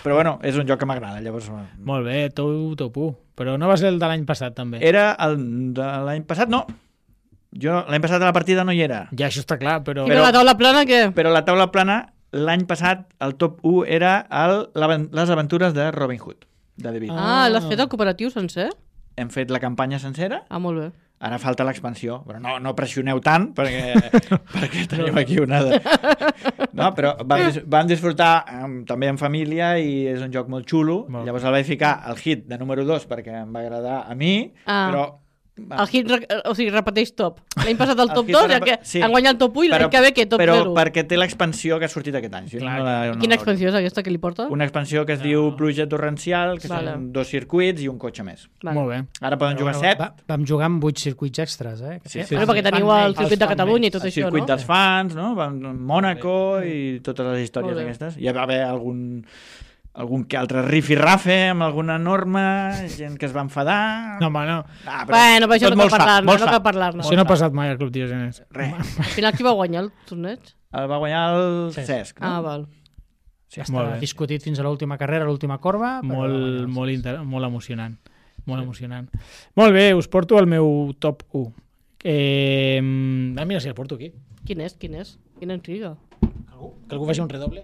però bueno, és un joc que m'agrada. Llavors Molt bé, tu top u. Però no va ser el de l'any passat, també. era el de l'any passat, no. Jo l'any passat a la partida no hi era. Ja, això està clar, però... I però... la taula plana, què? Però la taula plana, l'any passat, el top u era el, l'aven- les aventures de Robin Hood, de David. Ah, l'has fet al cooperatiu sencer? Hem fet la campanya sencera, Ah, molt bé. ara falta l'expansió, però no, no pressioneu tant perquè, perquè tenim aquí una... De... No, però vam, dis vam disfrutar amb, també en família i és un joc molt xulo. Molt. Llavors el vaig ficar al hit de número dos perquè em va agradar a mi, Ah. però... El hit, re- o sigui, repeteix top. L'any passat el El top hit dos, era- ja que sí. han guanyat el top u i l'any que ve que top però zero. perquè té l'expansió que ha sortit aquest any. Si Clar, no, la, no, Quina la- expansió és aquesta que li porta? Una expansió que es diu Pluja Torrencial, que Vale. són dos circuits i un cotxe més. Vale. Molt bé. Ara poden jugar Bueno, set. va, vam jugar amb vuit circuits extras, eh? Sí, sí. Bueno, perquè teniu el circuit de Catalunya i tot El això, circuit no? dels fans, no? Van a Mònaco i totes les històries Molt bé. aquestes. Hi va haver algun algun que altre rifirrafe amb alguna norma, gent que es va enfadar... No, home, no. Ah, Bueno, però això tot no cal molt sa, parlar-ne, molt no sa. cal parlar-ne. Això no ha passat mai al Club Diogenes. Res. Al final qui va guanyar el torneig? El va guanyar el Cesc. Cesc. No? Ah, val. Ja Molt està bé. discutit fins a l'última carrera, l'última corba. però Molt, guanyar. molt, inter... molt emocionant. Molt emocionant. Molt bé, us porto el meu top u. Eh... Ah, mira, si el porto aquí. Quin és, quin és? Quina intriga. Algú? Que algú faci un redoble?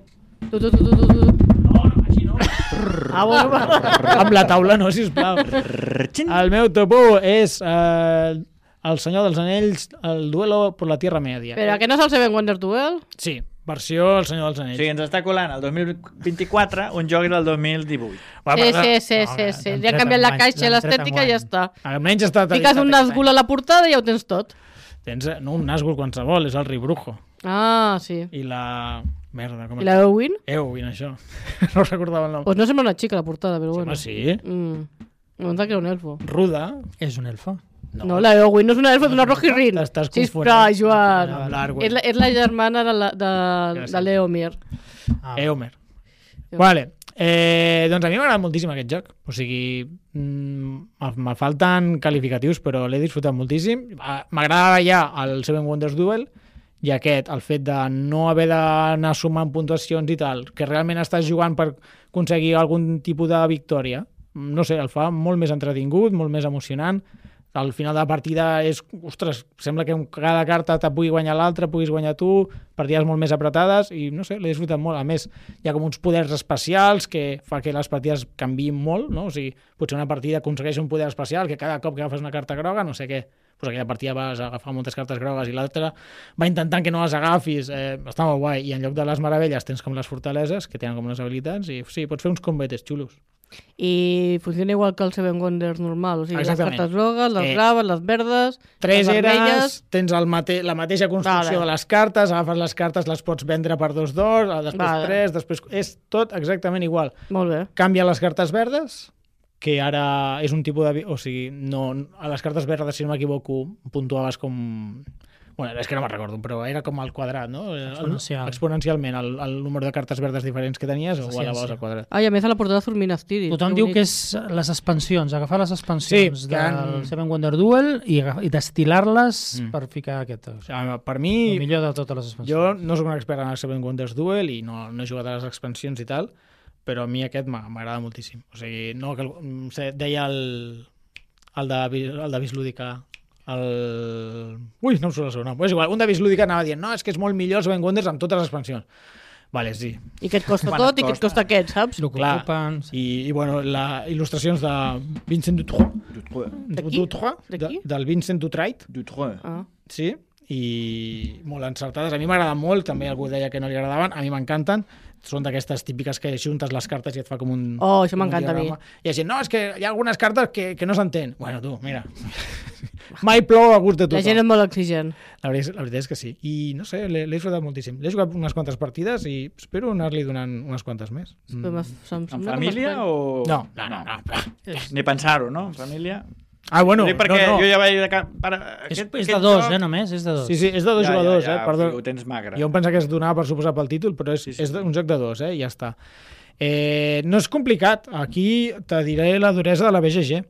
Tu, tu, tu, tu, tu, tu. No, no, així no. Ah, bueno, va. Amb la taula no, sisplau. El meu top u és eh, El Senyor dels Anells, el duelo por la Tierra Media. Però que no és el Seven Wonders Duel? Sí, versió El Senyor dels O Anells. sigui, ens està colant el dos mil vint-i-quatre un joc del dos mil divuit. Va, Sí, perdó. sí, sí, No, sí, que sí. l'han Ja tret han canviat la enguany, caixa i l'han tret l'estètica i ja enguany. està. Almenys està... Fiques un Nazgûl a la portada i ja ho tens tot. Tens, eh, no, un Nazgûl qualsevol, és el rei Brujo. Ah, sí. I la... Merda, com I la Eowyn? Eowyn, això. No recordava el nom. Pues no sembla una xica a la portada, però Sí, bueno. home, sí. Mm. No em que era un elfo. Ruda. És un elfo. No, no la Eowyn no és una elfo, és una Rohirrim. T'estàs Sisplau, confonent. Joan. Amb l'Arwen. És la, és la germana de, la, de, Gràcies. de l'Eomir. Ah, Eomer. Ja. Vale. Eh, doncs a mi m'agrada moltíssim aquest joc. O sigui, mm, me falten qualificatius, però l'he disfrutat moltíssim. Ah, m'agrada ja el Seven Wonders Duel i aquest, el fet de no haver d'anar sumant puntuacions i tal, que realment estàs jugant per aconseguir algun tipus de victòria. No sé, el fa molt més entretingut, molt més emocionant. Al final de la partida és, ostres, sembla que cada carta te pugui guanyar l'altra, puguis guanyar tu, partides molt més apretades i no sé, l'he disfrutat molt. A més, hi ha com uns poders especials que fa que les partides canviïn molt, no? O sigui, potser una partida aconsegueix un poder especial que cada cop que agafes una carta groga, no sé què, doncs aquella partida vas a agafar moltes cartes grogues i l'altra va intentant que no les agafis, eh, està molt guai, i en lloc de les meravelles tens com les fortaleses que tenen com les habilitats i sí, pots fer uns combates xulos. I funciona igual que el Seven Wonders normal, o sigui, Exactament. les cartes grogues, les Eh, graves, les verdes, Tres les eres, vermelles... tens el mate la mateixa construcció Vale. de les cartes, agafes les cartes, les pots vendre per dos d'or, després Vale. tres, després... És tot exactament igual. Molt bé. Canvia les cartes verdes, que ara és un tipus de... vi- O sigui, no, a les cartes verdes, si no m'equivoco, puntuaves com... Bueno, és que no me'n recordo, però era com al quadrat, no? Exponencial. Exponencialment, el, el número de cartes verdes diferents que tenies, o La ho elevaves ciència. al quadrat. Ah, i a més a la portada surt Minas Tirith. Tothom diu que és les expansions, agafar les expansions Sí, sí, que del han- Seven Wonder Duel i, agaf- i destil·lar-les Mm. mm. per ficar aquest. O O sigui, sigui, per el mi, millor de totes les expansions. jo no sóc un expert en el Seven Wonders Duel i no, no he jugat a les expansions i tal, però a mi aquest m'ha- m'agrada moltíssim. O sigui, no, que, el- sé, deia el, el de, Vi- el de Vis Lúdica, el... Ui, no em surt el seu nom. És igual, un de Vis Lúdica anava dient no, és que és molt millor el Seven Wonders amb totes les expansions. Vale, sí. I que et costa Quan tot et i que et costa. costa aquest, saps? El que Clar. ocupen... Sí. I, i bueno, la il·lustracions de Vincent Dutroux, De qui? Dutroux, De de, qui? del Vincent Dutroux, Dutroux. Ah. sí, i molt encertades. A mi m'agraden molt, també algú deia que no li agradaven, a mi m'encanten. Són d'aquestes típiques que juntes les cartes i et fa com un... Oh, això com un m'encanta a mi. diagrama. I la gent, no, és que hi ha algunes cartes que, que no s'entén. Bueno, tu, mira, mai plou a gust de La tothom. gent és molt exigent. La veritat, la veritat és que sí. I no sé, l'he l'he disfrutat moltíssim. L'he jugat unes quantes partides i espero anar-li donant unes quantes més. Però m'es- em En sembla que família m'estrany. o...? No, no, no. no. Ni pensar-ho, no? En família... Ah, bueno, Dic perquè no, no. jo ja vaig... De... ca- Per... És, Aquest, és aquest de dos, joc- eh, només? És de dos. Sí, sí, és de dos ja, jugadors, ja, ja, eh? Perdó. Ho tens magre. Jo em pensava que es donava per suposar pel títol, però és, Sí, sí, sí, sí, és sí. un joc de dos, eh? I ja està. Eh, no és complicat. Aquí te diré la duresa de la B G G,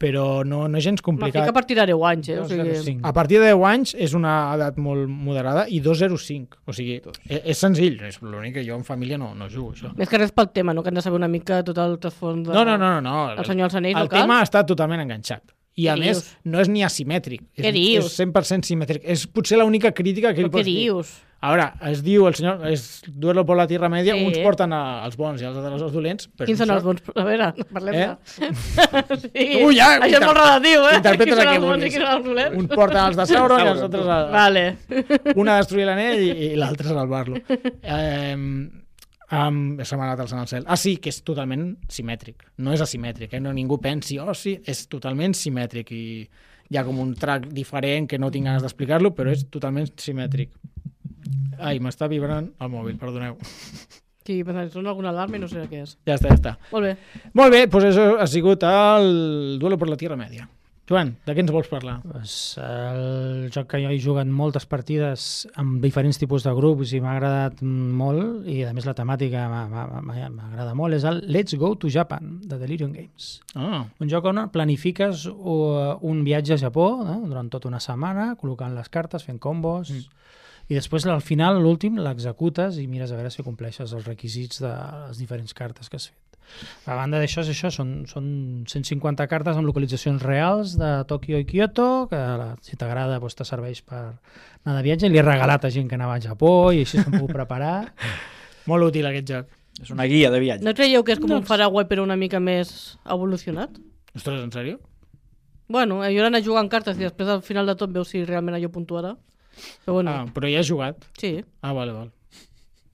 però no, no és gens Me fica complicat. per tirar deu anys, eh? O dos zero sigui... cinc. A partir de deu anys és una edat molt moderada i dos zero cinc. O sigui, és, és senzill. És l'únic que jo en família no, no jugo, això. Més que res pel tema, no? Que hem de saber una mica tot el trasfons de... No, no, no, no. no. El Senyor dels Anells, el no cal? tema està totalment enganxat. I a Què més, dius? no és ni asimètric. És, Què dius? és cent per cent simètric. És potser l'única crítica que Però li què pots dir. dius? A veure, es diu, el senyor, és Duelo por la Tierra Media, Sí. uns porten a, els bons i els altres els dolents. Però Quins són això- els bons? A veure, parlem Eh? de... sí. Tu ja, Això és inter- molt relatiu, eh? interpretes Quins el són que els bons vulguis. i quins són els dolents? Uns porten els de Sauron i els altres... A, Vale. un a destruir l'anell i, i l'altre a salvar-lo. Eh, um, se m'ha anat alçant al cel. Ah, sí, que és totalment simètric. No és asimètric, eh? No ningú pensi, oh, sí, és totalment simètric i hi ha com un track diferent que no tinc ganes d'explicar-lo, però és totalment simètric. Ai, m'està vibrant el mòbil, perdoneu. Sí, pensant, sona alguna alarma i no sé què és. Ja està, ja està. Molt bé. Molt bé, doncs això ha sigut el Duelo por la Tierra Media. Joan, de què ens vols parlar? Pues, el joc que jo he jugat moltes partides amb diferents tipus de grups i m'ha agradat molt, i a més la temàtica m'ha- m'ha- m'ha- m'agrada molt, és el Let's Go to Japan, de Delirium Games. Ah, Un joc on planifiques uh, un viatge a Japó, eh, durant tota una setmana, col·locant les cartes, fent combos, mm. I després, al final, l'últim, l'executes i mires a veure si compleixes els requisits de les diferents cartes que has fet. A banda d'això, és això, són, són cent cinquanta cartes amb localitzacions reals de Tòquio i Kyoto, que la, si t'agrada doncs, te serveix per anar de viatge. I li he regalat a gent que anava al Japó i així se'n puc preparar. Molt útil aquest joc. És una guia de viatge. No creieu que és com No. un Faraway però una mica més evolucionat? Ostres, en sèrio? Bueno, jo era anar jugant cartes i després al final de tot veus si realment allò puntuarà. Però bueno, Ah, però ja has jugat. sí. Ah, vale, vale.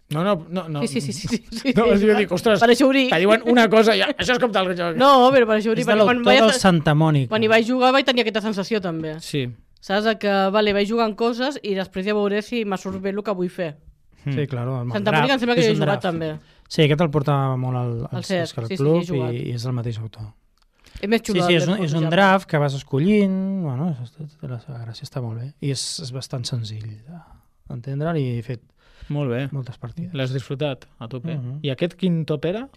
No, no, no. no. Sí, sí, sí. sí, sí, sí. No, jo dic, ostres, Per això ho dic. que diuen una cosa i ja, això és com tal joc. No, però per això ho És dic. de perquè quan l'autor vaig- del Santa Mònica. Quan hi vaig jugar vaig tenir aquesta sensació també. Sí. Saps? Que, vale, vaig jugant coses i després ja veuré si m'ha surt bé el que vull fer. Sí, claro. el Santa draft, Mònica em sembla que és jo he un jugat draft. també. Sí, aquest el portava molt al, al, Al C E S, al sí, sí, club hi he jugat. i, i és el mateix autor. És més Sí, xulo. sí, el és un, Death és of un Java. draft que vas escollint, bueno, és, té la seva gràcia, està molt bé. I és, és bastant senzill d'entendre'l i he fet Molt bé. moltes partides. L'has disfrutat a tope. Mhm. I aquest quin top era?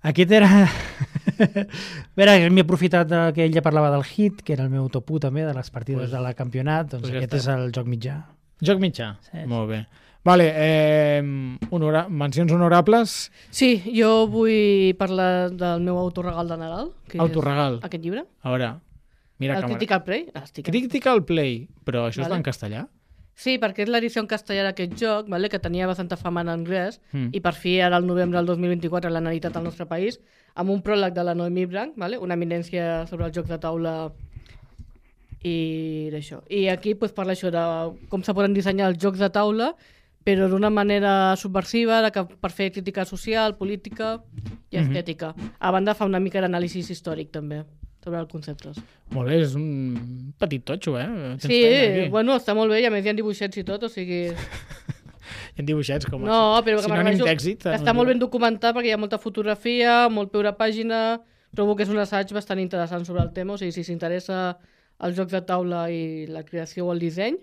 Aquest era... a veure, m'he aprofitat de que ell ja parlava del hit, que era el meu top u també, de les partides Pues- de la campionat, doncs pues ja aquest està. és el joc mitjà. Joc mitjà. Sí, sí. Molt bé. Vale, eh, honora... mencions honorables. Sí, jo vull parlar del meu autoregal de Nadal, que Autoregal. és aquest llibre, A veure, mira el càmera. Critical Play. Ah, estic... Critical Play, però això Vale. està en castellà? Sí, perquè és l'edició en castellà d'aquest joc, vale? Que tenia bastanta fama en anglès, Mm. i per fi ara al novembre del dos mil vint-i-quatre l'han editat al nostre país, amb un pròleg de la Noemí Branc, vale? Una eminència sobre els jocs de taula i d'això. I aquí pues, parla això de com se poden dissenyar els jocs de taula, però d'una manera subversiva, de que per fer crítica social, política i Mhm. estètica. A banda fa una mica d'anàlisi històric també, sobre els conceptes. Molt bé, és un petit totxo, eh? Tens Sí, feina aquí. bueno, està molt bé, i a més hi ha dibuixets i tot, o sigui... Hi ha dibuixets com No, però que sinònim m'agrada d'èxit. que està molt ben documentat perquè hi ha molta fotografia, molt peu de pàgina, trobo que és un assaig bastant interessant sobre el tema, o sigui, si s'interessa els jocs de taula i la creació o el disseny,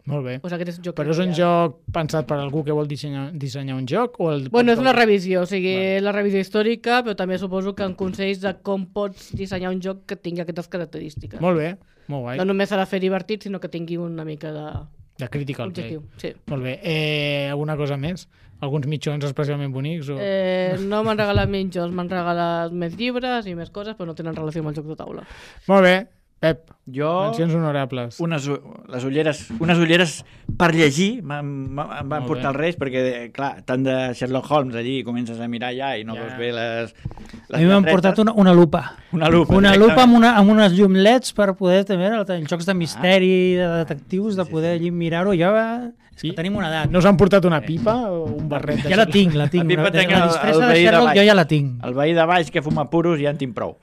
Molt bé. doncs aquest és un joc. Però és un ideal. joc pensat per algú que vol dissenyar, dissenyar un joc? O el... Bueno, és una revisió, o sigui, Vale. la revisió històrica, però també suposo que en consells de com pots dissenyar un joc que tingui aquestes característiques. Molt bé, molt guai. No només s'ha de fer divertit, sinó que tingui una mica de De Critical Play. objectiu. Sí. Molt bé. Eh, alguna cosa més? Alguns mitjons especialment bonics? O... Eh, no m'han regalat mitjons, m'han regalat més llibres i més coses, però no tenen relació amb el joc de taula. Molt bé. Pep, Jo... mencions honorables. Unes, u- les ulleres, unes ulleres per llegir m'han m'han- em van Molt portar bé. als Reis perquè, clar, tant de Sherlock Holmes allí comences a mirar ja i no Ja. veus bé les, les A mi m'han lletretes. portat una, una lupa. Una lupa. Una directament. lupa amb, una, amb unes llum leds per poder també, els jocs de misteri, de detectius, de poder allí mirar-ho. Jo, eh, és que I- tenim una edat. No us han portat una pipa o un barret? de Ja la Sherlock? tinc, la tinc. A pipa Una, tenc la el- disfressa el de veí de Sherlock baix. jo ja la tinc. El veí de baix que fuma puros ja en tinc prou.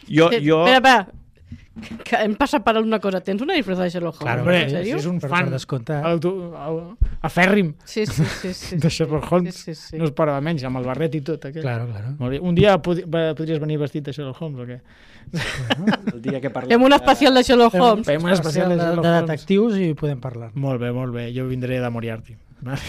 jo, Eh, jo... Espera, espera, que hem passat per una cosa. Tens una disfressa de Sherlock Holmes? Claro, Hombre, en si sèrio? és un Per- fan per descomptat. auto- au- afèrrim Sí, sí, sí. sí. de Sherlock Holmes, Sí, sí, sí. no es parava menys, amb el barret i tot. Aquell. Claro, claro. Molt bé. Un dia pod podries venir vestit de Sherlock Holmes o què? El dia que parlem... Fem un especial de Sherlock Holmes. Fem un especial de de, Sherlock de Holmes. detectius i podem parlar. Molt bé, molt bé. Jo vindré de Moriarty. Vale.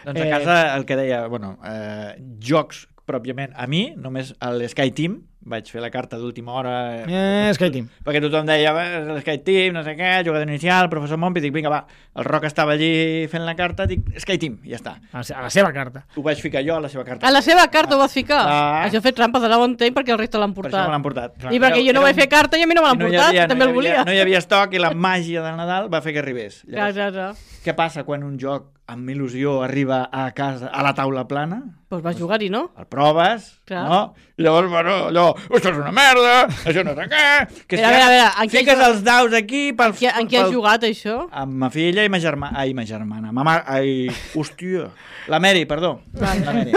Doncs a Eh, casa el que deia, bueno, eh, jocs pròpiament, a mi, només a l'Sky Team, vaig fer la carta d'última hora, Eh, Sky Team. perquè tothom deia, "Va, l'Sky Team, no sé què, jugador inicial, professor Mompi", dic, vinga, va, el Roc estava allí fent la carta, dic, Sky Team, i ja està. A la se- a la seva carta. Ho vaig ficar jo a la seva carta. A la seva carta ho vas ficar? Ah. Això ha fet trampes, ara ho entenc perquè el resta l'han Per això me l'han portat. portat. I perquè jo no Era vaig un- fer carta i a mi no me l'han i no hi portat, havia- que també no el hi havia- volia. No hi havia estoc i la màgia del Nadal va fer que arribés. Clar, Llavors, clar, clar. què passa quan un joc amb il·lusió arriba a casa, a la taula plana? Doncs vas jugar-hi, no? El proves, Clar. no? I llavors, bueno, allò, això és una merda, això no sé què... Que A veure, a veure, en què fiques has- els daus aquí pel... Qui, en qui has pel- jugat, això? Amb ma filla i ma germana. Ai, ma germana. Ma mare... Ai, hòstia. La Mary, perdó. La Mary.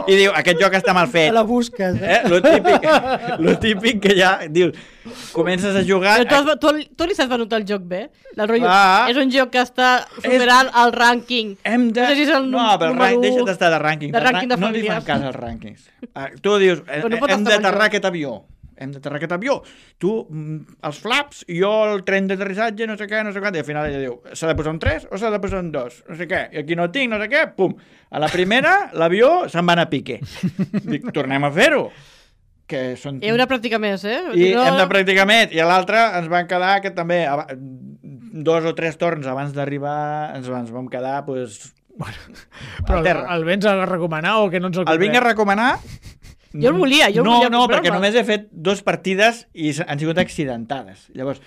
I diu, aquest joc està mal fet. Te la busques, eh? Eh? Lo típic, lo típic que ja dius, comences a jugar... Però tu, has, tu, tu li saps notar el joc bé? El rotllo, Ah. és un joc que està superant el rànquing. Hem de... No sé si és el no, però el número rank, u deixa't d'estar de rànquing. de rànquing de no li famílies. fan cas als rànquings. Ah, tu dius, eh, Però no pot hem estar d'aterrar millor. aquest avió. Hem d'aterrar aquest avió. Tu, mm, els flaps, i jo el tren d'aterrissatge, no sé què, no sé quant, i al final ella diu, s'ha de posar un tres o s'ha de posar un dos? No sé què. I aquí no tinc, no sé què, pum. A la primera, l'avió se'n va anar a pique. Dic, tornem a fer-ho. Que són... Hi ha una pràctica més, eh? I hem de practicar més. I a l'altre ens van quedar que també aba- dos o tres torns abans d'arribar ens, ens vam quedar pues, Però a terra. el vens a recomanar o que no ens el El vinc a comprem? recomanar... Jo el volia, jo el no, volia No, comprar-me. perquè només he fet dues partides i s- han sigut accidentades. Llavors,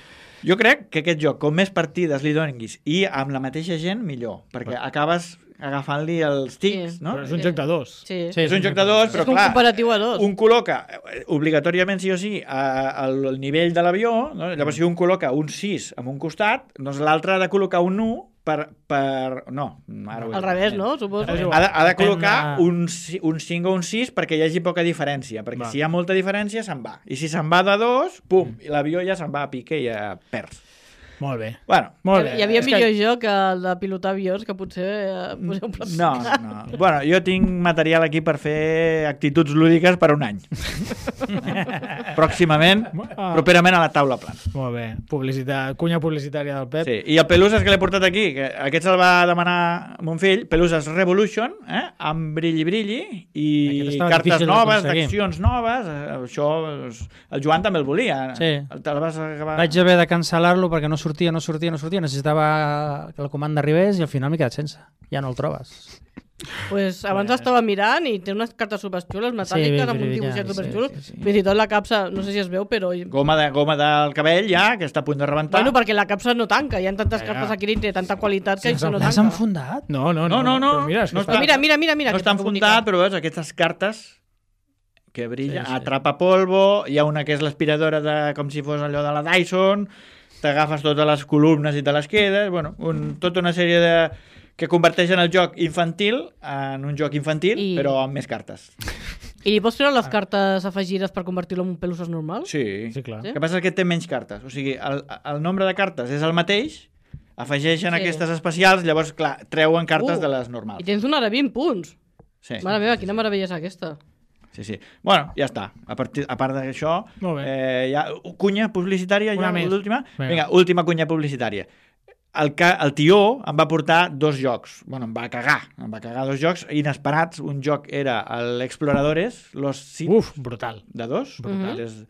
jo crec que aquest joc, com més partides li donis i amb la mateixa gent, millor, perquè acabes agafant-li els tics, Sí. no? Però és un joc de dos. Sí. Sí, És un joc de dos, però és un clar, cooperatiu a dos. un col·loca eh, obligatòriament sí o sí a- al al nivell de l'avió, no? Llavors si un col·loca un sis en un costat, doncs l'altre ha de col·locar un u per... per... No, ara ho he Al dit. revés, no? Suposo. És Ha igual. de, ha de Depèn col·locar de- un, ci- un cinc o un sis perquè hi hagi poca diferència, perquè Va. si hi ha molta diferència se'n va. I si se'n va de dos, pum, i l'avió ja se'n va a pique i ja perds. Molt bé. Bueno, Molt bé. Hi havia És millor que... joc que el de pilotar avions, que potser eh, poseu un no, no. Bueno, jo tinc material aquí per fer actituds lúdiques per un any. Pròximament, Ah. properament a la taula plana. Molt bé. Publicitat, cunya publicitària del Pep. Sí. I el Peluses que l'he portat aquí, que aquest se'l va demanar mon fill, Peluses Revolution, eh? amb brilli brilli i Aquest estava cartes difícil noves, d'aconseguir. d'accions noves. eh, Això, és- el Joan també el volia. Sí. El, te'l vas acabar... Vaig haver de cancel·lar-lo perquè no sortia, no sortia, no sortia. Necessitava que la comanda arribés i al final m'he quedat sense. Ja no el trobes. Pues abans estava mirant i té unes cartes superxules metàl·liques Sí, amb un brillants, dibuixet sí, superxulo. sí, sí. Fins i tot la capsa, no sé si es veu, però... Goma, de, goma del cabell ja, que està a punt de rebentar. Bueno, perquè la capsa no tanca, hi ha tantes Ja, cartes ja. aquí dintre, tanta qualitat que Sense això no L'has tanca. enfundat? No, no, No, no, no. Però mira, és que No està... Però mira, mira, mira, mira. no aquesta està que enfundat, bonica. però veus, aquestes cartes que brillen, Sí, sí. atrapa polvo, hi ha una que és l'aspiradora de, com si fos allò de la Dyson, t'agafes totes les columnes i te les quedes, bueno, un, tota una sèrie de que converteixen el joc infantil en un joc infantil, I- però amb més cartes. I li pots treure les cartes afegides per convertir-lo en un pelusos normal? Sí. Sí, clar. Sí? El que passa és que té menys cartes. O sigui, el, el nombre de cartes és el mateix, afegeixen Sí. aquestes especials, llavors, clar, treuen cartes Uh, de les I normals. tens una de vint punts. Sí. Mare meva, quina meravella és aquesta. Sí, sí. Bueno, ja està. A, partir, a part d'això, Molt bé. eh, ja, cunya publicitària, Una ja més. l'última. Vinga. Vinga, última cunya publicitària. El, ca, el tió em va portar dos jocs. Bueno, em va cagar. Em va cagar dos jocs inesperats. Un joc era l'Exploradores, Los Sith, Uf, brutal. de dos. Brutal. És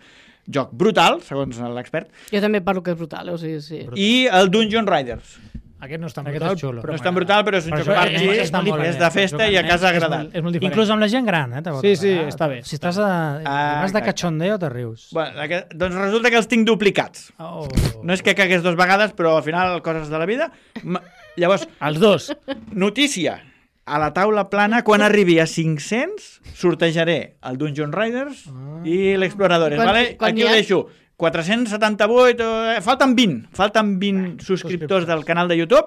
joc brutal, segons l'expert. Jo també parlo que és brutal, eh? O sigui, sí. I el Dungeon Riders. Aquest no és tan Aquest brutal. és xulo. No és tan brutal, però és un Però joc això party, és- és, està molt és bé. de festa i a casa És agradat. molt, és molt diferent. Inclús amb la gent gran, eh? te pot Sí, sí, agradar. està bé. Si estàs a... Ah, vas de exacte. cachondeo, te rius. Bueno, aquest, doncs resulta que els tinc duplicats. Oh. No és que cagués dues vegades, però al final coses de la vida. Ma- Llavors, Els dos. notícia. A la taula plana, quan arribi a cinc-cents, sortejaré el Dungeon Riders i l'Exploradores. Quan- Vale? quan Aquí hi ho ha- deixo. quatre-cents setanta-vuit, eh, falten vint. Falten vint subscriptors del canal de YouTube.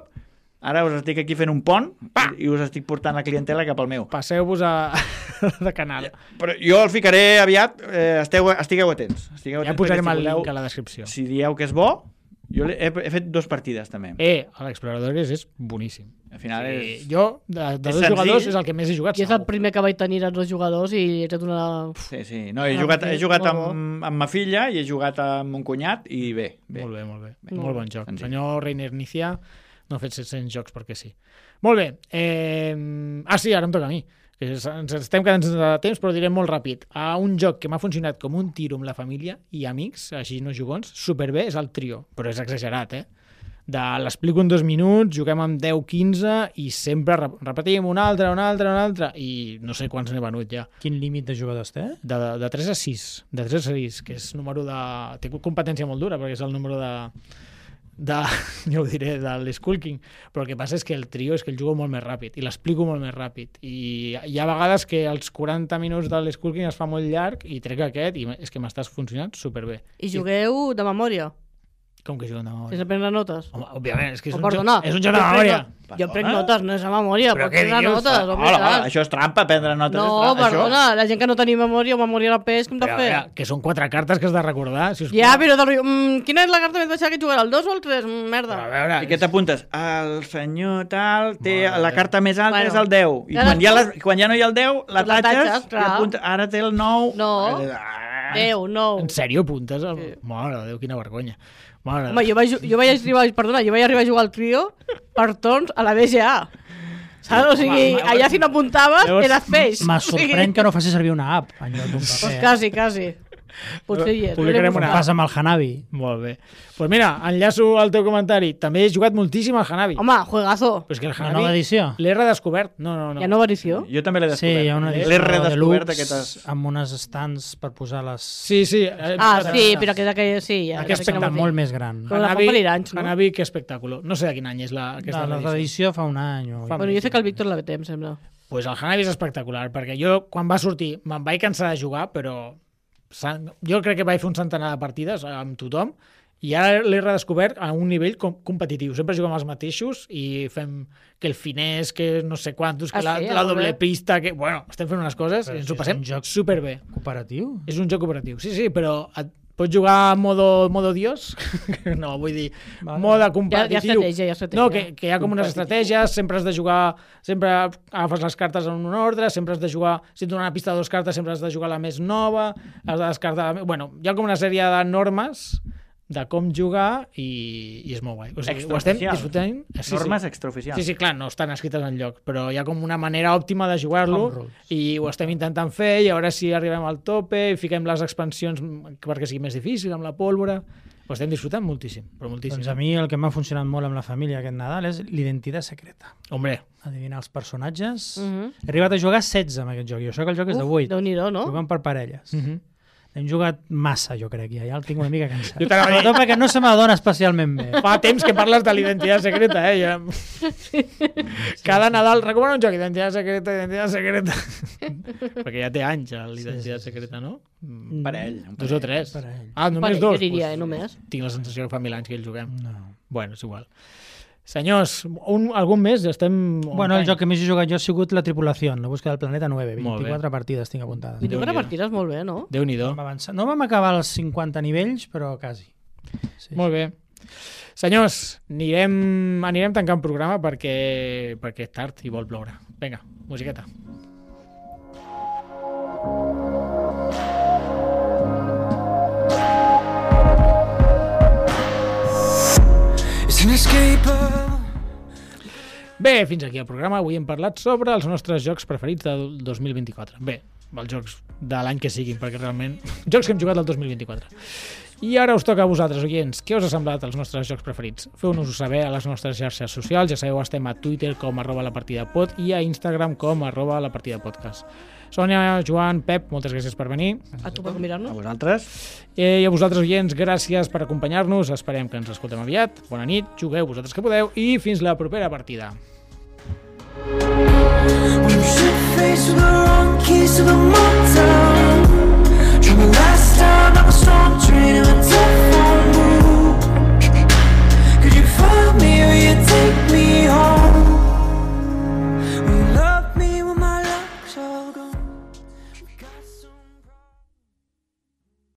Ara us estic aquí fent un pont i us estic portant la clientela cap al meu. Passeu-vos a... de canal. Però jo el ficaré aviat. Eh, esteu, estigueu atents. Estigueu Ja atents posarem perquè el si voleu- link a la descripció. Si dieu que és bo, jo he, he fet dos partides també. Eh, l'Exploradores és boníssim. Al final és... Sí, jo, de, de és dos senzill. jugadors, és el que més he jugat. I és el segur. primer que vaig tenir els dos jugadors i he fet una... Sí, sí. No, he Ah, jugat, sí, he jugat molt amb, amb ma filla i he jugat amb mon cunyat i bé. bé. Molt bé, molt bé. Bé. Molt bon joc. Senzill. Senyor Reiner Nicià no ha fet set-cents jocs perquè sí. Molt bé. Eh... Ah, sí, ara em toca a mi. Que ens ens estem quedant sense temps, però direm molt ràpid. A un joc que m'ha funcionat com un tiro amb la família i amics, així no jugons, superbé, és el Trio. Però és exagerat, eh? De l'explico en dos minuts, juguem amb deu quinze i sempre rep- repetim un altre, un altre, un altre, i no sé quants n'he venut ja. Quin límit de jugadors té? De, de, de tres a sis, de tres a sis, que és número de... Té competència molt dura, perquè és el número de... de ja ho diré, de l'Skull King, però el que passa és que el trio és que el jugo molt més ràpid i l'explico molt més ràpid i hi ha vegades que els quaranta minuts de l'Skull King es fa molt llarg i trec aquest i és que m'estàs funcionant superbé. I jugueu de memòria, Com que juguen de memòria? sense prendre notes. Home, òbviament, és que és Oh, un, perdona, joc, és un joc de jo prenc memòria. not- Jo prenc Perdona? notes, no és a memòria, Però pots què prendre dius? notes. home, Hola, hola, tant. això és trampa, prendre notes. és No, trampa, perdona, la gent que no tenim memòria o memòria al pes, com de Però, fer? a veure, que són quatre cartes que has de recordar. Si us Ja, plau. però del rotllo, mm, quina és la carta més baixa que jugarà, el dos o el tres? Mm, merda. Però, a veure, Això. I què t'apuntes? El senyor tal té Mare la de- carta més alta Bueno. és el deu. I Cadascú- quan, hi ha la, quan ja no hi ha el deu, la La tatxes, tatxes, i clar. apunta, ara té el nou. No. Ah. Deu, nou. En sèrio, apuntes? El... Sí. Mare de Déu, quina vergonya. Mare de Home, jo vaig, ju- jo vaig arribar, perdona, jo vaig arribar a jugar al trio per torns a la B G A. Saps? O sigui, Home, allà si no apuntaves, llavors, eres peix. Me O sigui, sorprèn que no facis servir una app en lloc d'un Pues paper. quasi, quasi. Potser hi és. Publicarem Com una- passa amb el Hanabi. Molt bé. Doncs pues mira, enllaço al teu comentari. També he jugat moltíssim al Hanabi. Home, juegazo. Però és que el La nova Hanabi edició? l'he redescobert. No, no, no. Hi ha nova edició? Jo també l'he Sí, descobert. hi ha una L'he edició redescobert deluxe aquestes... amb unes stands per posar les... Sí, sí. eh, Ah, eh, sí, però aquesta que sí. Ja, Aquest ja sé quina espectacle vols dir. molt més gran. Però la fa un parell d'anys, no? Hanabi, que espectacle. No sé de quin any és la, aquesta La, la edició. edició fa un any. O... Fa- Bueno, jo sé que el Víctor la té, em sembla. Pues el Hanabi és espectacular, perquè jo, quan va sortir, me'n vaig cansar de jugar, però sa- jo crec que vaig fer un centenar de partides amb tothom, i ara l'he redescobert a un nivell com competitiu. Sempre juguem els mateixos i fem que el finès, que no sé quantos, que Ah, la, sí? la Ah, molt doble bé. pista, que, bueno, estem fent unes coses Però i ens si ho és passem un joc- superbé. Cooperatiu? És un joc cooperatiu, sí, sí, però et pots jugar a modo, modo dios, no, vull dir, Vale. mode Hi ha, competitiu. hi ha estratègia, hi ha estratègia. No, que, que hi ha com unes estratègies, sempre has de jugar, sempre agafes les cartes en un ordre, sempre has de jugar, si et donen una pista de dues cartes, sempre has de jugar la més nova, has de descartar... La... Bueno, hi ha com una sèrie de normes de com jugar i, i és molt guai. O sigui, ho estem Extraoficials. disfrutant. Sí, Normes sí. extraoficials. Sí, sí, clar, no estan escrites en lloc, però hi ha com una manera òptima de jugar-lo Home rules. i ho estem intentant fer i a veure si arribem al tope i fiquem les expansions perquè sigui més difícil amb la pólvora. Ho estem disfrutant moltíssim, però moltíssim. Doncs a mi el que m'ha funcionat molt amb la família aquest Nadal és l'identitat secreta. Hombre, Adivinar els personatges. Mhm. He arribat a jugar setze amb aquest joc, i això que el joc és de Uf, vuit. Déu-n'hi-do, no? Jugant per parelles. uh -huh. Hem jugat massa, jo crec, ja, ja el tinc una mica cansat. Jo t'anava a dir- Sobretot perquè no se m'adona especialment bé. fa temps que parles de l'identitat secreta, eh? Ja... Cada Nadal recomano un joc, identitat secreta, identitat secreta. perquè ja té anys, l'identitat Sí, sí, sí, secreta, no? Un parell. Un Dos o tres. Parell. Ah, només Parell, dos? jo diria, eh, Pues, només. Tinc la sensació que fa mil anys que el juguem. No. Bueno, és igual. Senyors, un, algun més? Estem... on Bueno, el time? joc que més he jugat jo ha sigut La Tripulació, la búsqueda del planeta nueve, Molt bé. vint-i-quatre partides tinc apuntades. vint-i-quatre Déu-n'hi-do. partides molt bé, no? Déu-n'hi-do. Vam avançar. No vam acabar els cinquanta nivells, però quasi. Sí. Molt bé. Senyors, anirem, anirem tancant programa perquè, perquè és tard i vol ploure. Vinga, musiqueta. It's inescapable. Bé, fins aquí el programa. Avui hem parlat sobre els nostres jocs preferits del dos mil vint-i-quatre. Bé, els jocs de l'any que siguin, perquè realment... Jocs que hem jugat el dos mil vint-i-quatre. I ara us toca a vosaltres, oients. Què us ha semblat els nostres jocs preferits? Feu-nos-ho saber a les nostres xarxes socials. Ja sabeu, estem a Twitter com arroba la partida pod i a Instagram com arroba la partida podcast. Sònia, Joan, Pep, moltes gràcies per venir. A tu per A convidar-nos. vosaltres. Eh, I a vosaltres, oients, gràcies per acompanyar-nos. Esperem que ens escoltem aviat. Bona nit, jugueu vosaltres que podeu i fins la propera partida. When you should face with the wrong keys to the moon.